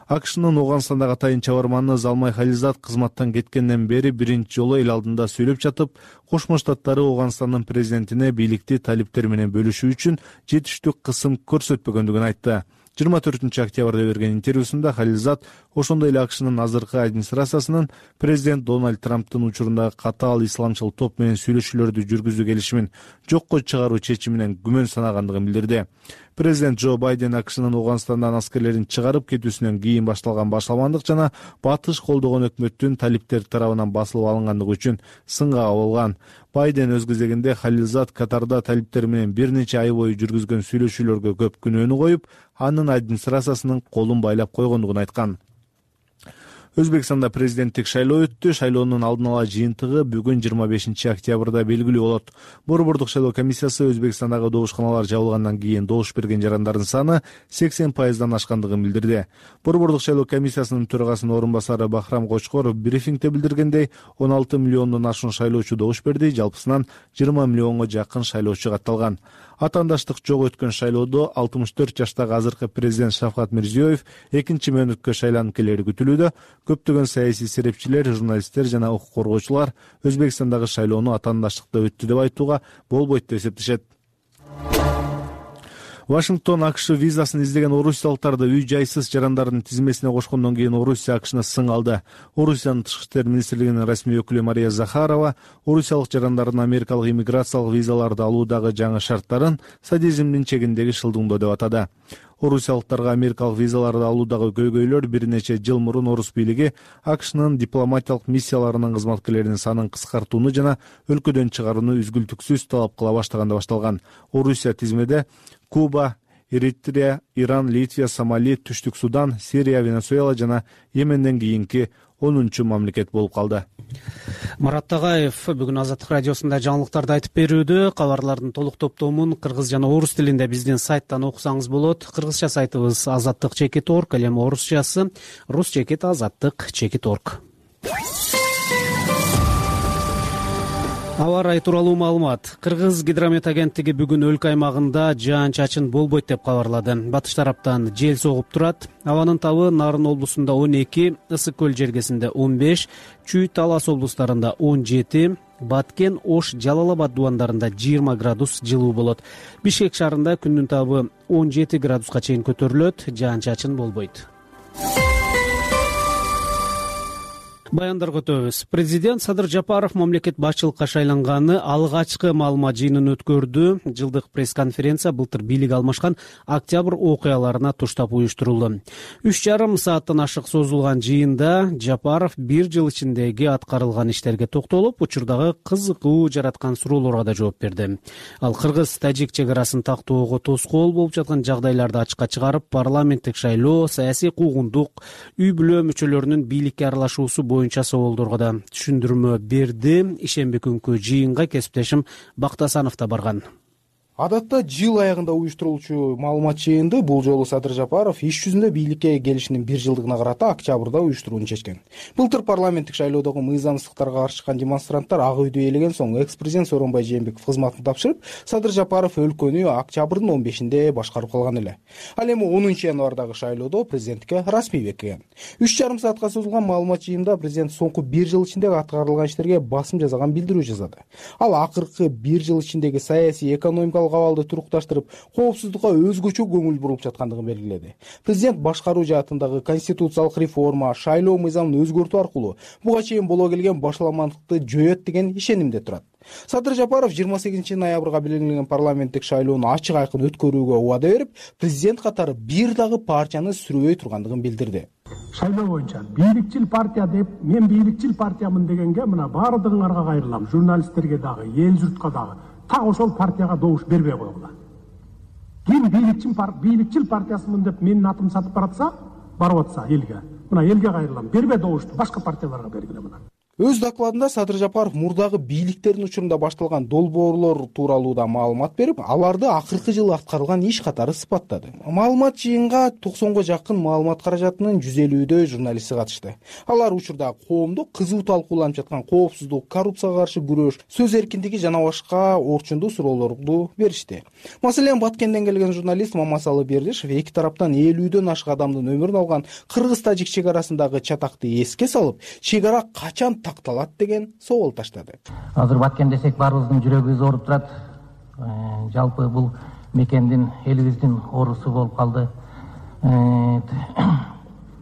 АКШнын Ооганстандагы атайын чабарманы Залмай Хализат кызматтан кеткенден бери биринчи жолу эл алдында сүйлөп жатып, Кошмо Штаттары Ооганстандын президентине бийликти талиптер менен бөлүшүү үчүн жетиштүү кысым көрсөтпөгөндүгүн айтты. 24 октябрда берген интервьюсунда Хализат ошондой эле АКШнын азыркы администрациясынын президент Дональд Трамптын учурундагы катаал исламчыл топ менен сүйлөшүүлөрдү жүргүзүү келишимин жокко чыгаруу чечиминен күмөн санагандыгын билдирди. Президент Джо Байден АКШнын Ооганстандан аскерлерин чыгарып кетүүсүнөн кийин башталган башаламандык жана батыш колдогон өкмөттүн талиптер тарабынан басылып алынгандыгы үчүн сынга кабылган. Байден өз кезегинде Халилзат Катарда талиптер менен бир нече ай бою жүргүзгөн сүйлөшүүлөргө көп күнөөнү коюп, анын администрациясынын колун байлап койгондугун айткан. Өзбекстанда президенттик шайлоо өттү. Шайлоонун алдын ала жыйынтыгы бүгүн 25 октябрда белгилүү болот. Борбордук шайлоо комиссиясы Өзбекстандагы добушканалар жабылгандан кийин добуш берген жарандардын саны 80%дан ашкандыгын билдирди. Борбордук шайлоо комиссиясынын төрагасынын орун басары Бахрам Кочкоров брифингде билдиргендей, 16 миллиондон ашуун шайлоочу добуш берди. Жалпысынан 20 миллионго жакын шайлоочу катталган. Атаандаштык жок өткөн шайлоодо 64 жаштагы азыркы президент Шавкат Мирзиёев экинчи мөөнөткө шайланып келери күтүлүүдө. Көптөгөн саясий серепчилер, журналисттер жана укук коргоочулар Өзбекстандагы шайлоону атаандаштыкта өттү деп айтууга болбойт деп эсептешет. Вашингтон АКШ визасын издеген орусиялыктарды үй-жайсыз жарандардын тизмесине кошкондон кийин Орусия АКШны сың алды. Орусиянын тышкы иштер министрлигинин расмий өкүлү Мария Захарова орусиялык жарандардын америкалык иммиграциялык визаларды алуудагы жаңы шарттарын садизмдин чегиндеги шылдыңдоо деп атады. Орусиялыктарга америкалык визаларды алуудагы көйгөйлөр бир нече жыл мурун орус бийлиги АКШнын дипломатиялык миссияларынын кызматкерлеринин санын кыскартууну жана өлкөдөн чыгарууну үзгүлтүксүз талап кыла баштаганда башталган. Орусия тизмеде Куба, Эритрея, Иран, Литвия, Сомали, Түштүк Судан, Сирия, Венесуэла жана Йеменден кийинки 10-чу мамлекет болуп калды. Марат Тагаев бүгүн Азаттык радиосунда жаңылыктарды айтып берүүдө. Кабарлардын толук топтомун кыргыз жана орус тилинде биздин сайттан окусаңыз болот. Кыргызча сайтыбыз azattik.org, эми орусчасы rus.azattik.org. Аба ырайы тууралуу маалымат. Кыргыз гидромет агенттиги бүгүн өлкө аймагында жаан-чачын болбойт деп кабарлады. Батыш тараптан жел согуп турат. Абанын табы Нарын облусунда 12, Ысык көл жергесинде 15, Чүй, Талас облустарында 17, Баткен, Ош, Жалал Абад дубандарында 20 градус жылуу болот. Бишкек шаарында күндүн табы 17 градуска чейин көтөрүлөт, жаан-чачын болбойт. Баяндарга өтөбүз. Президент Садыр Жапаров мамлекет башчылыкка шайланганы алгачкы маалымат жыйынын өткөрдү. Жылдык пресс-конференция былтыр бийлик алмашкан октябрь окуяларына туштап уюштурулду. 3,5 сааттан ашык созулган жыйында Жапаров бир жыл ичиндеги аткарылган иштерге токтолуп, учурдагы кызыкуу жараткан суроолорго да жооп берди. Ал кыргыз-тажик чек арасын тактоого тоскоол болуп жаткан жагдайларды ачыкка чыгарып, парламенттик шайлоо, саясий куугундук, үй бүлө мүчөлөрүнүн бийликке аралашуусу боюнча соолдорго да түшүндүрмө берди. Ишемби күнкү жыйынга кесиптешим Бактасанов да барган. Адатта жыл аягында уюштурулчу маалымат жыйынды бул жолу Садыр Жапаров иш жүзүндө бийликке келишинин бир жылдыгына карата октябрда уюштурууну чечкен. Былтыр парламенттик шайлоодогу мыйзамсыздыктарга каршы чыккан демонстранттар ак үйдү ээлеген соң экс-президент Сооронбай Жээнбеков кызматын тапшырып, Садыр Жапаров өлкөнү октябрдын 15-нде башкарып калган эле. Ал эми 10-январдагы шайлоодо президенттикке расмий бекиген. 3,5 саатка созулган маалымат жыйынында президент соңку бир жыл ичиндеги аткарылган иштерге басым жасаган билдирүү жасады. Ал акыркы бир жыл ичиндеги саясий, экономикалык абалды турукташтырып, коопсуздукка өзгөчө көңүл буруп жаткандыгын белгиледи. Президент башкаруу жаатындагы конституциялык реформа, шайлоо мыйзамын өзгөртүү аркылуу буга чейин боло келген башаламандыкты жоет деген ишенимде турат. Садыр Жапаров 28 ноябрга белгиленген парламенттик шайлоону ачык айкын өткөрүүгө убада берип, президент катары бир дагы партияны сүрөбөй тургандыгын билдирди. Шайлоо боюнча бийликчил партия деп, мен бийликчил партиямын дегенге мына баардыгыңарга кайрылам, журналисттерге дагы, эл журтка дагы. Так ошол партияга добуш бербей койгула. Ким бийликчил партиясымын деп менин атымды сатып баратса, барып атса элге. Мына элге кайрылам, бербе добушту, башка партияларга бергиле мына. Өз докладында Садыр Жапаров мурдагы бийликтердин учурунда башталган долбоорлор тууралуу да маалымат берип, аларды акыркы жылы аткарылган иш катары сыпаттады. Маалымат жыйынга 90го жакын маалымат каражатынын 150дөй журналисти катышты. Алар учурда коомдо кызуу талкууланып жаткан коопсуздук, коррупцияга каршы күрөш, сөз эркиндиги жана башка орчундуу суроолорду беришти. Маселен, Баткенден келген журналист Мамасалы Бердишев эки тараптан 50дөн ашык адамдын өмүрүн алган кыргыз-тажик чек арасындагы чатакты эске салып, чек ара качан такталат деген соол таштады. Азыр Баткен десек баарыбыздын жүрөгүбүз ооруп турат. Жалпы бул мекендин элибиздин оорусу болуп калды.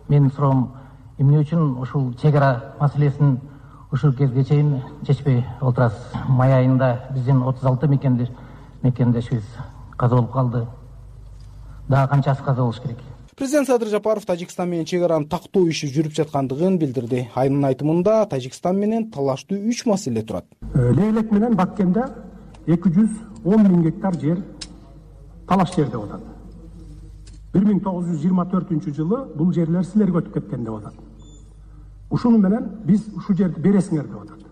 Менин суроом, эмне үчүн ушул чек ара маселесин ушул кезге чейин чечпей отурасыз? Май айында биздин 36 мекендешибиз каза болуп калды. Дагы канчасы каза болуш керек? Президент Садыр Жапаров Тажикстан менен чек араны тактоо иши жүрүп жаткандыгын билдирди. Анын айтымында Тажикстан менен талаштуу 3 маселе турат. Лейлек менен Баткенде 210 000 гектар жер талаш жер деп атат. 1924-жылы бул жерлер силерге өтүп кеткен деп атат. Ушуну менен биз ушу жерди бересиңер деп атат.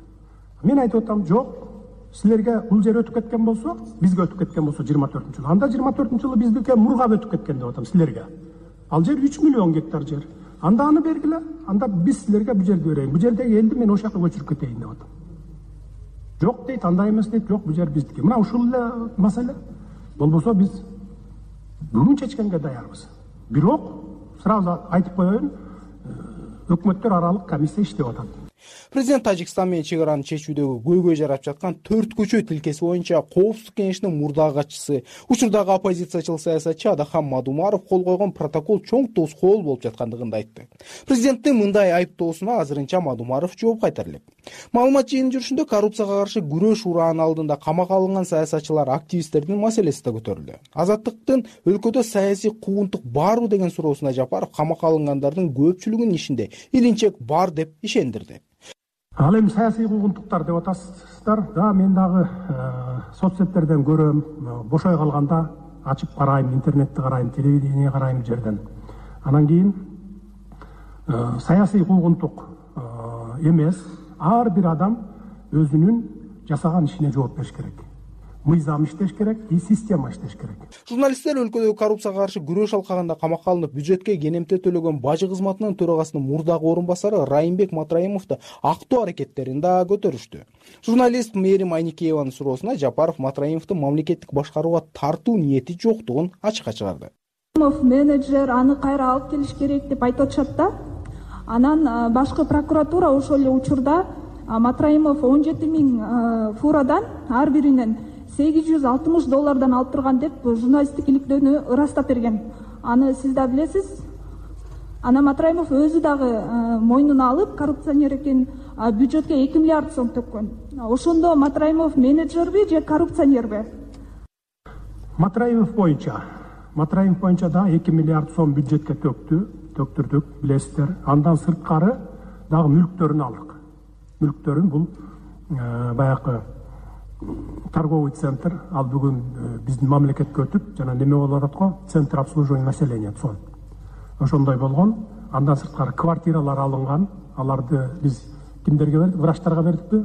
Мен айтып атам, жок, силерге бул жер өтүп кеткен болсо, бизге өтүп кеткен болсо 24-жылы. Анда 24-жылы биздики Мургап өтүп кеткен деп атам силерге. Ал жер 3 миллион гектар жер. Анда аны бергиле, анда биз силерге бул жерди берейин. Бул жердеги элди мен ошол жака көчүрүп кетейин деп атам. Жок дейт, андай эмес дейт, жок, бул жер биздики. Мына ушул эле маселе. Болбосо биз бүгүн чечкенге даярбыз. Бирок сразу айтып коеюн, өкмөттөр аралык комиссия иштеп атат. Президент Тажикстан менен чек араны чечүүдөгү көйгөй жарап жаткан 4 көчө тилкеси боюнча Коопсуздук кеңешинин мурдагы катчысы, учурдагы оппозициячыл саясатчы Адахан Мадумаров кол койгон протокол чоң тоскоол болуп жаткандыгын айтты. Президенттин мындай айыптоосуна азырынча Мадумаров жооп кайтара элек. Маалымат жыйынын жүрүшүндө коррупцияга каршы күрөш ураанын алдында камакка алынган саясатчылар, активисттердин маселеси да көтөрүлдү. Азаттыктын өлкөдө саясий куугунтук барбы деген суроосуна Жапаров камакка алынгандардын көпчүлүгүнүн ишинде илинчек бар деп ишендирди. Ал эми саясий куугунтуктар деп атасыздар. Да, мен дагы соцсеттерден көрөм, бошой калганда ачып карайм, интернетти карайм, телевидение карайм жерден. Анан кийин саясий куугунтук эмес, ар бир адам өзүнүн жасаган ишине жооп бериш керек. Мыйзам иштеш керек, система иштеш керек. Журналисттер өлкөдөгү коррупцияга каршы күрөш алкагында камакка алынып, бюджетке кенемте төлөгөн бажы кызматынын төрагасынын мурдагы орун басары Райымбек Матраимовду актоо аракеттерин да көтөрүштү. Журналист Мээрим Айникееванын суроосуна Жапаров Матраимовдун мамлекеттик башкарууга тартуу ниети жоктугун ачыкка чыгарды. Менеджер аны кайра алып келиш керек деп айтып атышат да. Анан башкы прокуратура ошол эле учурда Матраимов 17 000 фурадан ар биринен $860 алып турган деп журналисттик иликтөөнү ырастап берген. Аны сиз да билесиз. Ана Матраимов өзү дагы мойнуна алып, коррупционер экен, бюджетке 2 миллиард сом төккөн. Ошондо Матраимов менеджерби же коррупционерби? Матраимов боюнча да 2 миллиард сом бюджетке төктүрдүк, билесиздер. Андан сырткары дагы мүлктөрүн алдык. Мүлктөрүн бул баягы торговый центр, ал бүгүн биздин мамлекетке өтүп, жана неме болуп атат го, центр обслуживания населения сон. Ошондой болгон. Андан сырткары квартиралар алынган. Аларды биз кимдерге бердик? Врачтарга бердикпи?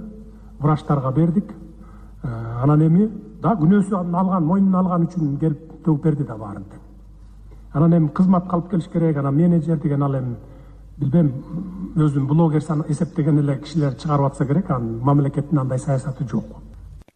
Врачтарга бердик. Анан эми да күнөөсүн алган, мойнуна алган үчүн келип төгүп берди да баарын. Анан эми кызматка алып келиш керек. Анан менеджер деген ал эми билбейм, өзүн блогер эсептеген эле кишилер чыгарып атса керек. Анын мамлекеттин андай саясаты жок.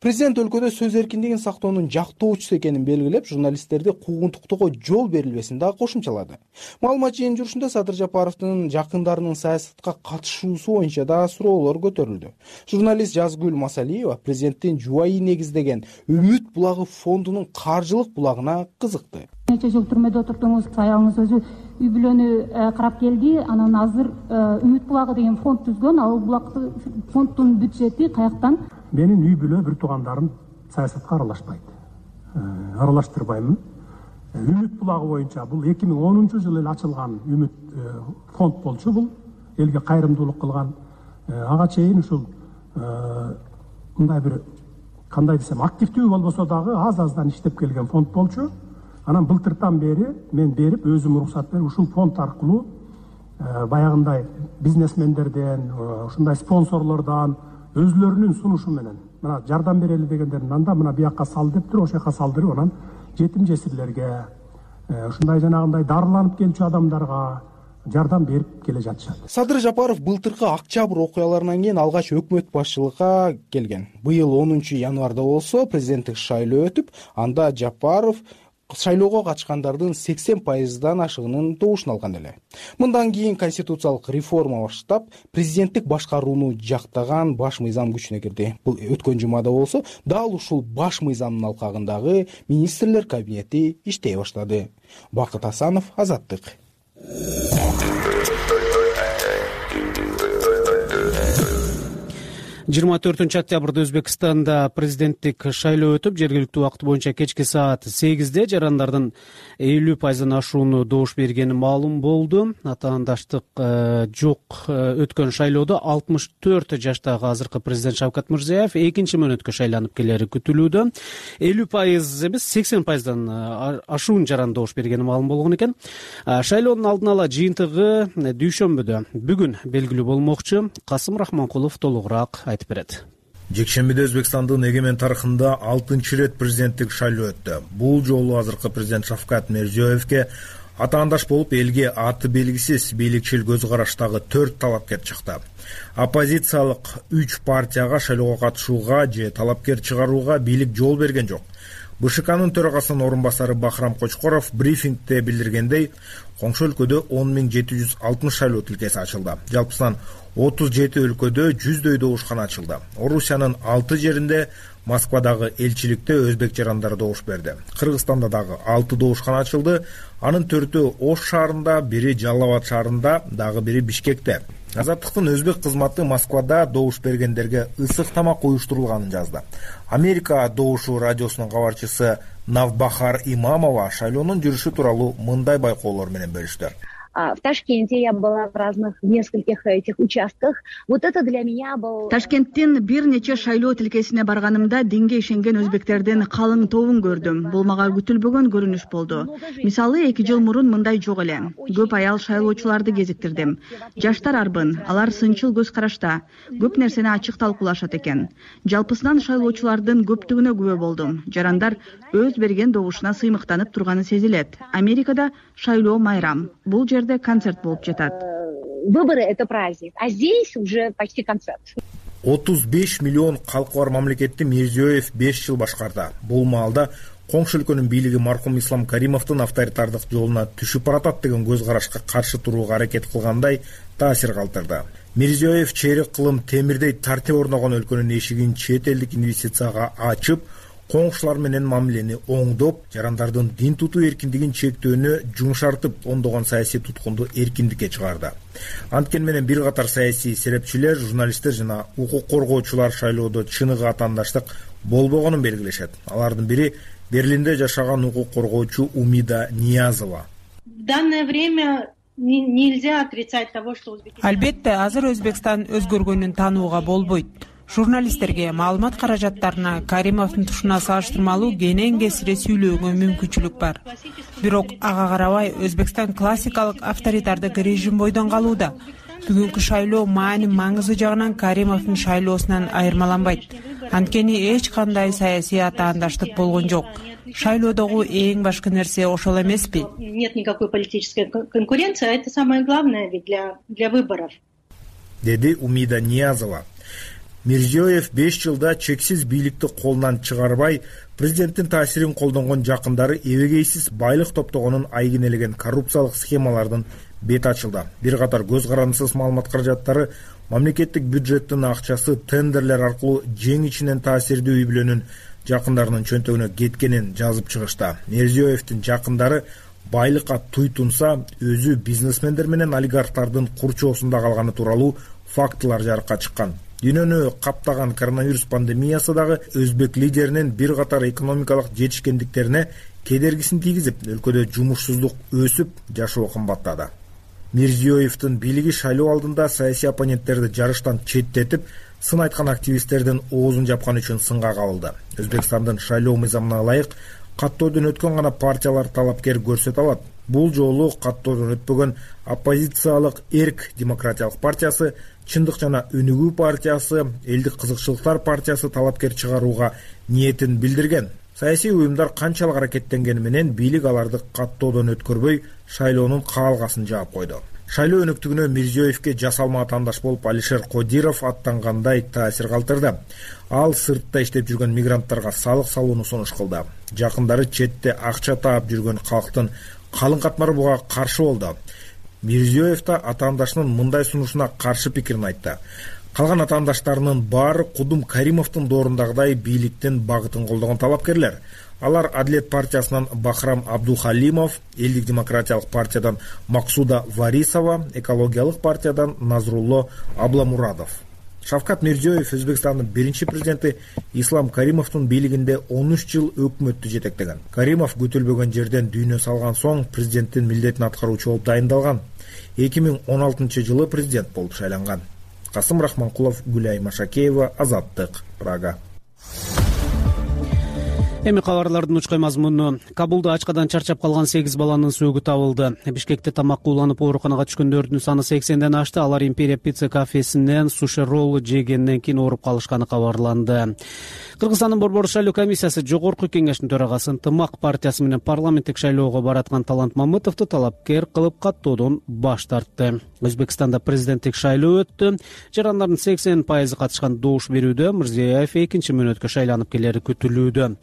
Президент өлкөдө сөз эркиндигин сактоонун жактоочусу экенин белгилеп, журналисттерди куугунтуктоого жол берилбесин дагы кошумчалады. Маалымат жыйынын жүрүшүндө Садыр Жапаровдун жакындарынын саясатка катышуусу боюнча да суроолор көтөрүлдү. Журналист Жазгүл Масалиева президенттин жубайы негиздеген Үмүт булагы фондунун каржылык булагына кызыкты. Нече жыл түрмөдө отурдуңуз, аялыңыз өзү үй бүлөнү карап келди. Анан азыр Үмүт булагы деген фонд түзгөн. Ал булакты фонддун бюджети каяктан? Менин үй бүлө бир туугандарым саясатка аралашпайт. Аралаштырбаймын. Үмүт булагы боюнча бул 2010-жылы эле ачылган Үмүт фонд болчу. Бул элге кайрымдуулук кылган. Ага чейин ушул мындай бир кандай десем, активдүү болбосо дагы аз-аздан иштеп келген фонд болчу. Анан былтыртан бери мен берип, өзүм уруксат берип, ушул фонд аркылуу баягындай бизнесмендерден, ушундай спонсорлордон өзлөрүнүн сунушу менен мына жардам берели дегендердин анда мына бияка сал дептир, ошол жака салдырып, анан жетим жесирлерге, ушундай жанагындай дарыланып келчү адамдарга жардам берип келе жатышат. Садыр Жапаров былтыркы Октябрь окуяларынан кийин алгач өкмөт башчылыкка келген. Быйыл 10 январда болсо президенттик шайлоо өтүп, анда Жапаров шайлоого катышкандардын 80%дан ашыгынын добушун алган эле. Мындан кийин конституциялык реформа баштап, президенттик башкарууну жактаган баш мыйзам күчүнө кирди. Бул өткөн жумада болсо, дал ушул баш мыйзамдын алкагындагы министрлер кабинети иштей баштады. Бакыт Асанов, Азаттык. 24 октябрда Өзбекстанда президенттик шайлоо өтүп, жергиликтүү убакыт боюнча кечки саат 8-де жарандардын 50% ашууну добуш бергени маалым болду. Атаандаштык жок өткөн шайлоодо 64 жаштагы азыркы президент Шавкат Мирзиёев экинчи мөөнөткө шайланып келери күтүлүүдө. 50% эмес, 80%дан ашуун жаран добуш бергени маалым болгон экен. Шайлоонун алдын ала жыйынтыгы дүйшөмбүдө бүгүн белгилүү болмокчу. Касым Рахманкулов толугураак айтып берет. Жекшембиде Өзбекстандын эгемен тарыхында 6-чы ирет президенттик шайлоо өттү. Бул жолу азыркы президент Шавкат Мирзиёевке атаандаш болуп элге аты белгисиз бийликчил көз караштагы 4 талапкер чыкты. Оппозициялык 3 партияга шайлоого катышууга же талапкер чыгарууга бийлик жол берген жок. БШКнын төрагасынын орун басары Бахрам Кочкоров брифингде билдиргендей, коңшу өлкөдө 10.760 шайлоо тилкеси ачылды. Жалпысынан 37 өлкөдө 100дөй добушкана ачылды. Орусиянын 6 жеринде, Москвадагы элчиликте өзбек жарандары добуш берди. Кыргызстанда дагы 6 добушкана ачылды. Анын 4-өө Ош шаарында, бири Жалал Абад шаарында, дагы бири Бишкекте. Азаттыктын өзбек кызматы Москвада добуш бергендерге ысык тамак уюштурулганын жазды. Америка добушу радиосунун кабарчысы Навбахар Имамова шайлоонун жүрүшү тууралуу мындай байкоолор менен бөлүштү. В Ташкенте я была в нескольких этих участках. Вот это для меня был... Ташкенттин бир нече шайлоо тилкесине барганымда динге ишенген өзбектердин калың тобун көрдүм. Бул мага күтүлбөгөн көрүнүш болду. Мисалы 2 жыл мурун мындай жок эле. Көп аял шайлоочуларды кезиктирдим. Жаштар арбын, алар сынчыл көз карашта. Көп нерсени ачык талкуулашат экен. Жалпысынан шайлоочулардын көптүгүнө күбө болдум. Жарандар өз берген добушуна сыймыктанып турганы сезилет. Америкада шайлоо майрам. Бул концерт болуп жатат. Выборы — это праздник, а здесь уже почти концерт. 35 миллион калкы бар мамлекетти Мирзиёев 5 жыл башкарды. Бул маалда коңшу өлкөнүн бийлиги маркум Ислам Каримовдун авторитардык жолуна түшүп баратат деген көз карашка каршы турууга аракет кылгандай таасир калтырды. Мирзиёев чейрек кылым темирдей тартип орногон өлкөнүн эшигин чет элдик инвестицияга ачып, коңшулар менен мамилени оңдоп, жарандардын дин тутуу эркиндигин чектөөнү жумшартып, ондогон саясий туткунду эркиндикке чыгарды. Анткени менен бир катар саясий серепчилер, журналисттер жана укук коргоочулар шайлоодо чыныгы атаандаштык болбогонун белгилешет. Алардын бири Берлинде жашаган укук коргоочу Умида Ниязова. В данное время нельзя отрицать того, что Албетте, азыр Өзбекстан өзгөргөнүн таанууга болбойт. Журналисттерге маалымат каражаттарына Каримовдун тушуна салыштырмалуу кенен кесире сүйлөөгө мүмкүнчүлүк бар. Бирок ага карабай Өзбекстан классикалык авторитардык режим бойдон калууда. Бүгүнкү шайлоо маани маңызы жагынан Каримовдун шайлоосунан айырмаланбайт. Анткени эч кандай саясий атаандаштык болгон жок. Шайлоодогу эң башкы нерсе ошол эмеспи? Нет никакой политической конкуренции, а это самое главное ведь для выборов. Деди Умида Ниязова. Мирзиёев 5 жылда чексиз бийликти колунан чыгарбай, президенттин таасирин колдонгон жакындары эбегейсиз байлык топтогонун айгинелеген коррупциялык схемалардын бет ачылды. Бир катар көз карандысыз маалымат каражаттары мамлекеттик бюджеттин акчасы тендерлер аркылуу жең ичинен таасирдүү үй бүлөнүн жакындарынын чөнтөгүнө кеткенин жазып чыгышты. Мирзиёевдин жакындары байлыкка туйтунса, өзү бизнесмендер менен олигархтардын курчоосунда калганы тууралуу фактылар жарыкка чыккан. Дүйнөнү каптаган коронавирус пандемиясы дагы өзбек лидеринин бир катар экономикалык жетишкендиктерине кедергисин тийгизип, өлкөдө жумушсуздук өсүп, жашоо кымбаттады. Мирзиёевдин бийлиги шайлоо алдында саясий оппоненттерди жарыштан четтетип, сын айткан активисттердин оозун жапкан үчүн сынга кабылды. Өзбекстандын шайлоо мыйзамына ылайык каттоодон өткөн гана партиялар талапкер көрсөтө алат. Бул жолу каттоодон өтпөгөн оппозициялык Эрк демократиялык партиясы, Чындык жана Өнүгүү партиясы, Элдик кызыкчылыктар партиясы талапкер чыгарууга ниетин билдирген. Саясий уюмдар канчалык аракеттенгени менен бийлик аларды каттоодон өткөрбөй, шайлоонун каалгасын жаап койду. Шайлоо өнүктүгүнө Мирзиёевке жасалма атаандаш болуп Алишер Кодиров аттангандай таасир калтырды. Ал сыртта иштеп жүргөн мигранттарга салык салууну сунуш кылды. Жакындары четте акча таап жүргөн калктын калың катмары буга каршы болду. Мирзиёев да атаандашынын мындай сунушуна каршы пикирин айтты. Калган атаандаштарынын баары Кудум Каримовдун доорундагыдай бийликтин багытын колдогон талапкерлер. Алар Адилет партиясынан Бахрам Абдухалимов, Элдик демократиялык партиядан Максуда Варисова, Экологиялык партиядан Назрулло Абламурадов. Шавкат Мирзиёев Өзбекстандын биринчи президенти Ислам Каримовдун бийлигинде 13 жыл өкмөттү жетектеген. Каримов күтүлбөгөн жерден дүйнө салган соң президенттин милдетин аткаруучу болуп дайындалган. 2016 жылы президент болуп шайланган. Касым Рахманкулов, Гүлай Машакеева, Азаттык, Прага. Эми кабарлардын учкай мазмуну. Кабулда ачкадан чарчап калган 8 баланын сөөгү табылды. Бишкекте тамакка уланып ооруканага түшкөндөрдүн саны 80ден ашты. Алар Империя пицца кафесинен суши ролл жегенден кийин ооруп калышканы кабарланды. Кыргызстандын Борбор шайлоо комиссиясы жогорку кеңештин төрагасы Ынтымак партиясы менен парламенттик шайлоого бараткан Талант Мамытовду талапкер кылып каттоодон баш тартты. Өзбекстанда президенттик шайлоо өттү. Жарандардын 80% катышкан добуш берүүдө Мирзиёев экинчи мөөнөткө шайланып келери күтүлүүдө.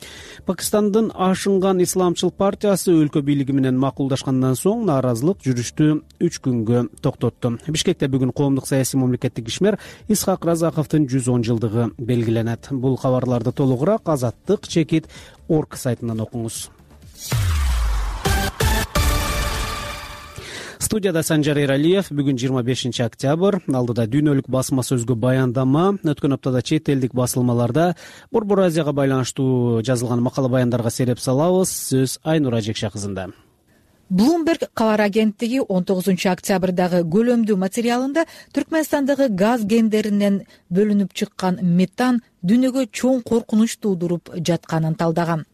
Пакистандын Ашынган исламчыл партиясы өлкө бийлиги менен макулдашкандан соң нааразылык жүрүштү 3 күнгө токтотту. Бишкекте бүгүн коомдук саясий мамлекеттик ишмер Исхак Разаковдун 110 жылдыгы белгиленет. Бул кабарларды толугураак Азаттык чекит орг сайтынан окуңуз. Студияда Санжар Эралиев. Бүгүн 25 октябрь. Алдыда дүйнөлүк басма сөзгө баяндама. Өткөн аптада чет элдик басылмаларда Борбор Азияга байланыштуу жазылган макала баяндарга сереп салабыз. Сөз Айнура Жекша кызында. Bloomberg кабар агенттиги 19 октябрдагы көлөмдүү материалында Түркмөнстандагы газ кендеринен бөлүнүп чыккан метан дүйнөгө чоң коркунуч туудуруп жатканын талдаган.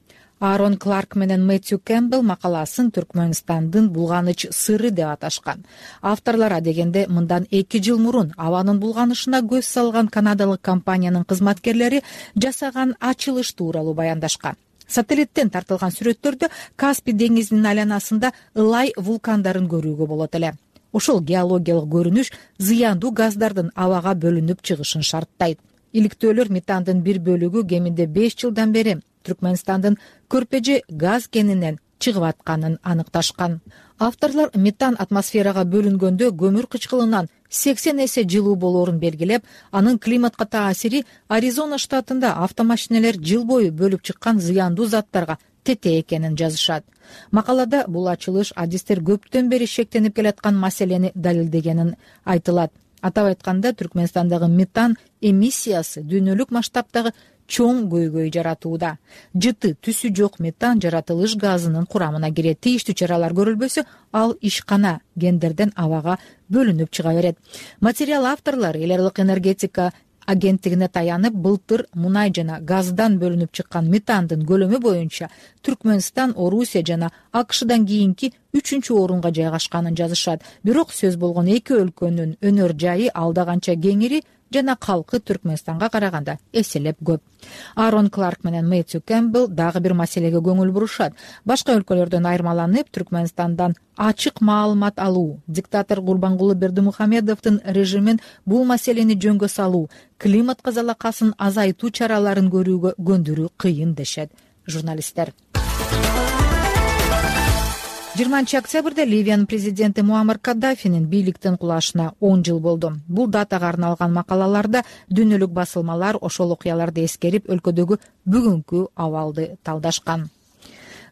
Аарон Кларк менен Мэтью Кэмпбелл макаласын Түркмөнстандын булганыч сыры деп аташкан. Авторлор адегенде мындан 2 жыл мурун абанын булганышына көз салган канадалык компаниянын кызматкерлери жасаган ачылыш тууралуу баяндашкан. Сателлиттен тартылган сүрөттөрдө Каспий деңизинин айланасында ылай вулкандарын көрүүгө болот эле. Ошол геологиялык көрүнүш зыяндуу газдардын абага бөлүнүп чыгышын шарттайт. Иликтөөлөр метандын бир бөлүгү кеминде 5 жылдан бери Түркмөнстандын Көрпежи газ кенинен чыгып атканын аныкташкан. Авторлор метан атмосферага бөлүнгөндө көмүр кычкылынан 80 эсе жылуу болоорун белгилеп, анын климатка таасири Аризона штатында автомашинелер жыл бою бөлүп чыккан зыяндуу заттарга тете экенин жазышат. Макалада бул ачылыш адистер көптөн бери шектенип келаткан маселени далилдегенин айтылат. Атап айтканда, Түркмөнстандагы метан эмиссиясы дүйнөлүк масштабтагы чоң көйгөй жаратууда. Жыты түсү жок метан жаратылыш газынын курамына кирет. Тийиштүү чаралар көрүлбөсө, ал ишкана кендерден абага бөлүнүп чыга берет. Материал авторлору эл аралык энергетика агенттигине таянып, былтыр мунай жана газдан бөлүнүп чыккан метандын көлөмү боюнча Түркмөнстан, Орусия жана АКШдан кийинки 3-орунга жайгашканын жазышат. Бирок сөз болгон эки өлкөнүн өнөр жайы алда канча кеңири жана калкы Түркмөнстанга караганда эселеп көп. Аарон Кларк менен Мэтью Кэмпбелл дагы бир маселеге көңүл бурушат. Башка өлкөлөрдөн айырмаланып, Түркмөнстандан ачык маалымат алуу, диктатор Гурбангулы Бердимухамедовдун режимин бул маселени жөнгө салуу, климатка залакасын азайтуу чараларын көрүүгө көндүрүү кыйын дешет журналисттер. 20 октябрда Ливиянын президенти Муаммар Каддафинин бийликтен кулашына 10 жыл болду. Бул датага арналган макалаларда дүйнөлүк басылмалар ошол окуяларды эскерип, өлкөдөгү бүгүнкү абалды талдашкан.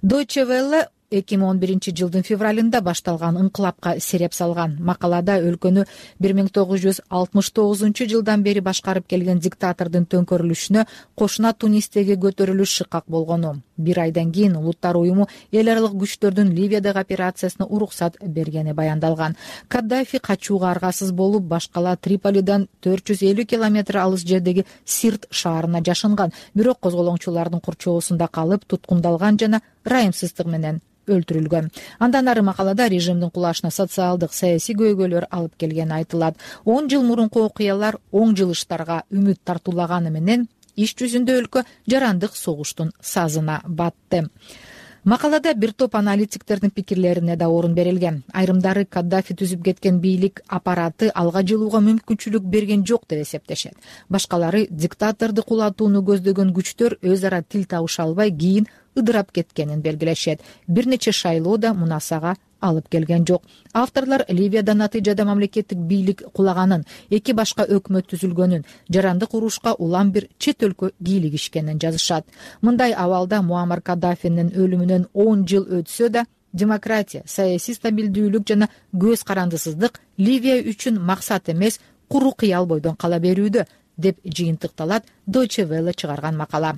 Deutsche Welle 2011 жылдын февралында башталган ыңкылапка сереп салган. Макалада өлкөнү 1969 жылдан бери башкарып келген диктатордун төңкөрүлүшүнө кошуна Тунистеги көтөрүлүш шыкак болгону, бир айдан кийин Улуттар уюму эл аралык күчтөрдүн Ливиядагы операциясына уруксат бергени баяндалган. Каддафи качууга аргасыз болуп, башкала Триполидан 450 километр алыс жердеги Сирт шаарына жашынган, бирок козголоңчулардын курчоосунда калып, туткундалган жана ырайымсыздык менен өлтүрүлгөн. Андан ары макалада режимдин кулашына социалдык, саясий көйгөйлөр алып келгени айтылат. 10 жыл мурунку окуялар оң жылыштарга үмүт тартуулаганы менен иш жүзүндө өлкө жарандык согуштун сазына батты. Макалада бир топ аналитиктердин пикирлерине да орун берилген. Айрымдары Каддафи түзүп кеткен бийлик аппараты алга жылууга мүмкүнчүлүк берген жок деп эсептешет. Башкалары диктаторду кулатууну көздөгөн күчтөр өз ара тил табыша албай кийин ыдырап кеткенин белгилешет. Бир нече шайлоо да мунасага алып келген жок. Авторлор Ливияда натыйжада мамлекеттик бийлик кулаганын, эки башка өкмөт түзүлгөнүн, жарандык урушка улам бир чет өлкө кийлигишкенин жазышат. Мындай абалда Муаммар Каддафинин өлүмүнөн 10 жыл өтсө да, демократия, саясий стабилдүүлүк жана көз карандысыздык Ливия үчүн максат эмес, куру кыял бойдон кала берүүдө, деп жыйынтыкталат Deutsche Welle чыгарган макала.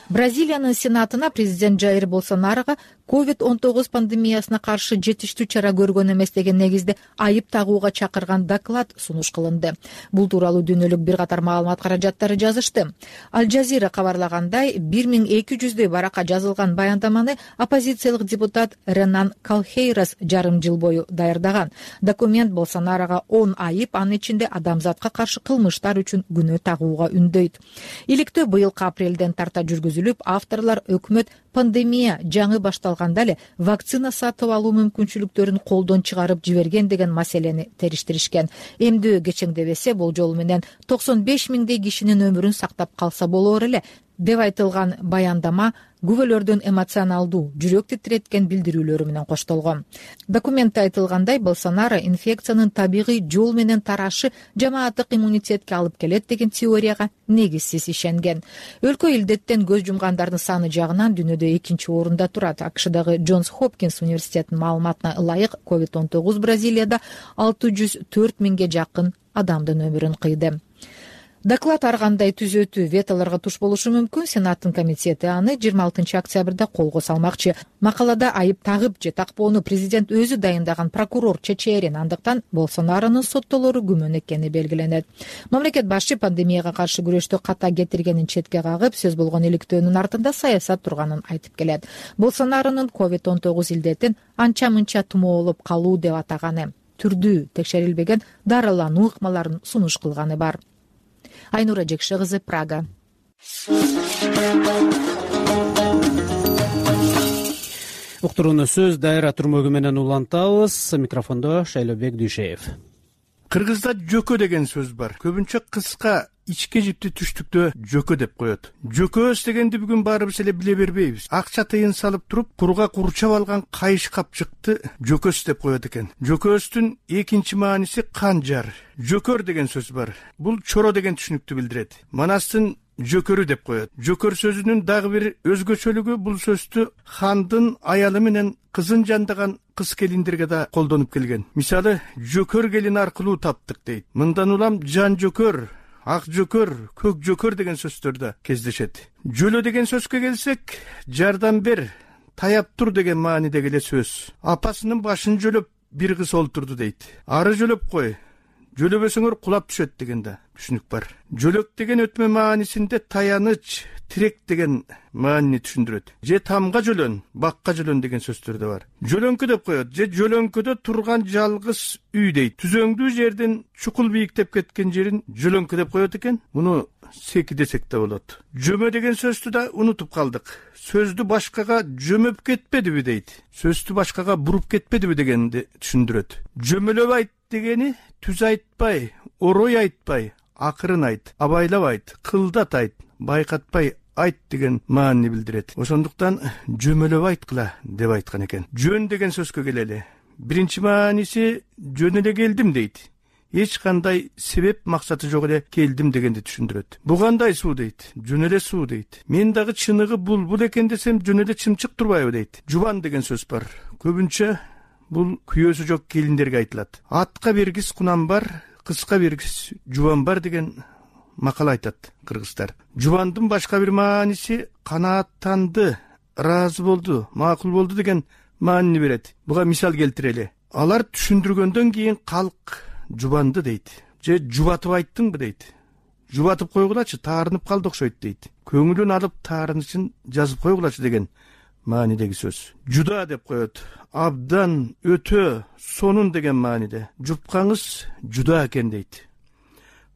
Бразилиянын сенатына президент Жаир Болсонарого COVID-19 пандемиясына каршы жетиштүү чара көргөн эмес деген негизде айып тагууга чакырган доклад сунуш кылынды. Бул тууралуу дүйнөлүк бир катар маалымат каражаттары жазышты. Аль-Жазира кабарлагандай, 1200дөй баракка жазылган баяндаманы оппозициялык депутат Ренан Калхейрас жарым жыл бою даярдаган. Документ Болсонарого 10 айып, анын ичинде адамзатка каршы кылмыштар үчүн күнөө тагууга үндөйт. Иликтөө быйылкы апрелден тарта жүргүзүлүп түзүлүп, авторлор өкмөт пандемия жаңы башталганда эле вакцина сатып алуу мүмкүнчүлүктөрүн колдон чыгарып жиберген деген маселени териштиришкен. Эмдөө кечеңдебесе, бул жолу менен 95 миңдей кишинин өмүрүн сактап калса болор эле деп айтылган баяндама күбөлөрдүн эмоционалдуу, жүрөк титиреткен билдирүүлөрү менен коштолгон. Документте айтылгандай, Болсонаро инфекциянын табигый жол менен тарашы жамааттык иммунитетке алып келет деген теорияга негизсиз ишенген. Өлкө илдеттен көз жумгандардын саны жагынан дүйнөдө экинчи орунда турат. АКШдагы Джонс Хопкинс университетинин маалыматына ылайык, COVID-19 Бразилияда 604 миңге жакын адамдын өмүрүн кыйды. Доклад ар кандай түзөтүү, ветолорго туш болушу мүмкүн. Сенаттын комитети аны 26 октябрда колго салмакчы. Макалада айып тагып же такпоону президент өзү дайындаган прокурор чечерин, андыктан Болсонаронун соттолору күмөн экени белгиленет. Мамлекет башчы пандемияга каршы күрөштү ката кетиргенин четке кагып, сөз болгон иликтөөнүн артында саясат турганын айтып келет. Болсонаронун COVID-19 илдетин анча-мынча тумоолоп калуу деп атаганы, түрдүү текшерилбеген дарылануу ыкмаларын сунуш кылганы бар. Айнура Жекше кызы, Прага. Уктурууну сөз Дайра Турмөгү менен улантабыз. Микрофондо Шайлобек Дүйшеев. Кыргызда жөкө деген сөз бар. Көбүнчө кыска ичке жипти түштүктө жөкө деп коет. Жөкөс дегенди бүгүн баарыбыз эле биле бербейбиз. Акча тыйын салып туруп, курга курчап алган кайыш капчыкты жөкөс деп коет экен. Жөкөстүн экинчи мааниси канжар. Жөкөр деген сөз бар. Бул чоро деген түшүнүктү билдирет. Манастын жөкөрү деп коет. Жөкөр сөзүнүн дагы бир өзгөчөлүгү бул сөздү хандын аялы менен кызын жандаган кыз келиндерге да колдонуп келген. Мисалы, жөкөр келин аркылуу таптык дейт. Мындан улам жан жөкөр, ак жөкөр, көк жөкөр деген сөздөр да кездешет. Жөлө деген сөзгө келсек, жардам бер, таяп тур деген маанидеги эле сөз. Апасынын башын жөлөп бир кыз олтурду дейт. Ары жөлөп кой, жөлөбөсөңөр кулап түшөт деген да түшүнүк бар. Жөлөк деген өтмө маанисинде таяныч, тирек деген маанини түшүндүрөт. Же тамга жөлөн, бакка жөлөн деген сөздөр да бар. Жөлөңкү деп коет, же жөлөңкөдө турган жалгыз үй дейт. Түзөңдүү жерден чукул бийиктеп кеткен жерин жөлөңкү деп коет экен. Муну секи десек да болот. Жөмө деген сөздү да унутуп калдык. Сөздү башкага жөмөп кетпедиби дейт. Сөздү башкага буруп кетпедиби дегенди түшүндүрөт. Жөмөлөп айт дегени түз айтпай, орой айтпай, акырын айт, абайлап айт, кылдат айт, байкатпай айт деген маанини билдирет. Ошондуктан жөмөлөп айткыла деп айткан экен. Жөн деген сөзгө келели. Биринчи мааниси жөн эле келдим дейт. Эч кандай себеп максаты жок эле келдим дегенди түшүндүрөт. Бу кандай суу дейт. Жөн эле суу дейт. Мен дагы чыныгы булбул экен десем жөн эле чымчык турбайбы дейт. Жубан деген сөз бар. Көбүнчө бул күйөөсү жок келиндерге айтылат. Атка бергис кунан бар, кызга бергис жубан бар деген макал айтат кыргыздар. Жубандын башка бир мааниси канааттанды, ыраазы болду, макул болду деген маанини берет. Буга мисал келтирели. Алар түшүндүргөндөн кийин калк жубанды дейт. Же жубатып айттыңбы дейт. Жубатып койгулачы, таарынып калды окшойт дейт. Көңүлүн алып таарынычын жазып койгулачы деген маанидеги сөз. Жуда деп коет. Абдан, өтө, сонун деген мааниде. Жупкаңыз жуда экен дейт.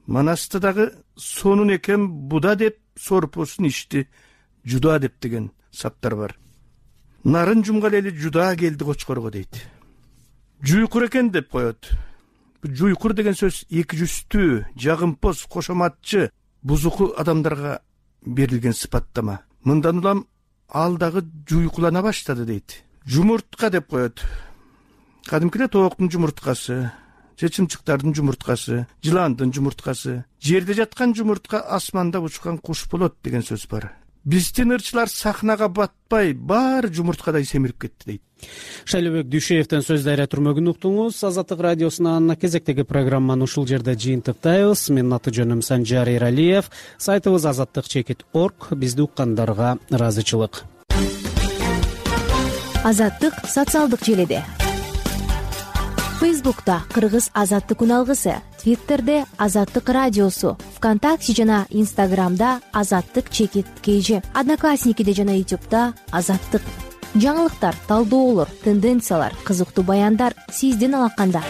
Манаста дагы сонун экен буда деп сорпосун ичти, жуда деп деген саптар бар. Нарын жумгал эли жуда келди кочкорго дейт. Жуйкур экен деп коет. Жуйкур деген сөз эки жүздүү, жагымпоз, кошоматчы, бузуку адамдарга берилген сыпаттама. Мындан улам ал дагы жуйкулана баштады дейт. Жумуртка деп коет. Кадимки эле тооктун жумурткасы, же чымчыктардын жумурткасы, жыландын жумурткасы, жерде жаткан жумуртка асманда учкан куш болот деген сөз бар. Биздин ырчылар сахнага батпай, баары жумурткадай семирип кетти дейт. Шайлобек Дүйшеевден сөз Дайра Турмөгүн уктуңуз. Азаттык радиосунун кезектеги программаны ушул жерде жыйынтыктайбыз. Менин аты жөнүм Санжар Эралиев. Сайтыбыз azаттык.org. Бизди уккандарга ыраазычылык. Азаттык социалдык желиде. Фейсбукта Кыргыз азаттык үналгысы, Твиттерде Азаттык радиосу, ВКонтакте жана Инстаграмда Азаттык_KG, Одноклассникиде жана Ютубта Азаттык. Жаңылыктар, талдоолор, тенденциялар, кызыктуу баяндар сиздин алаканда.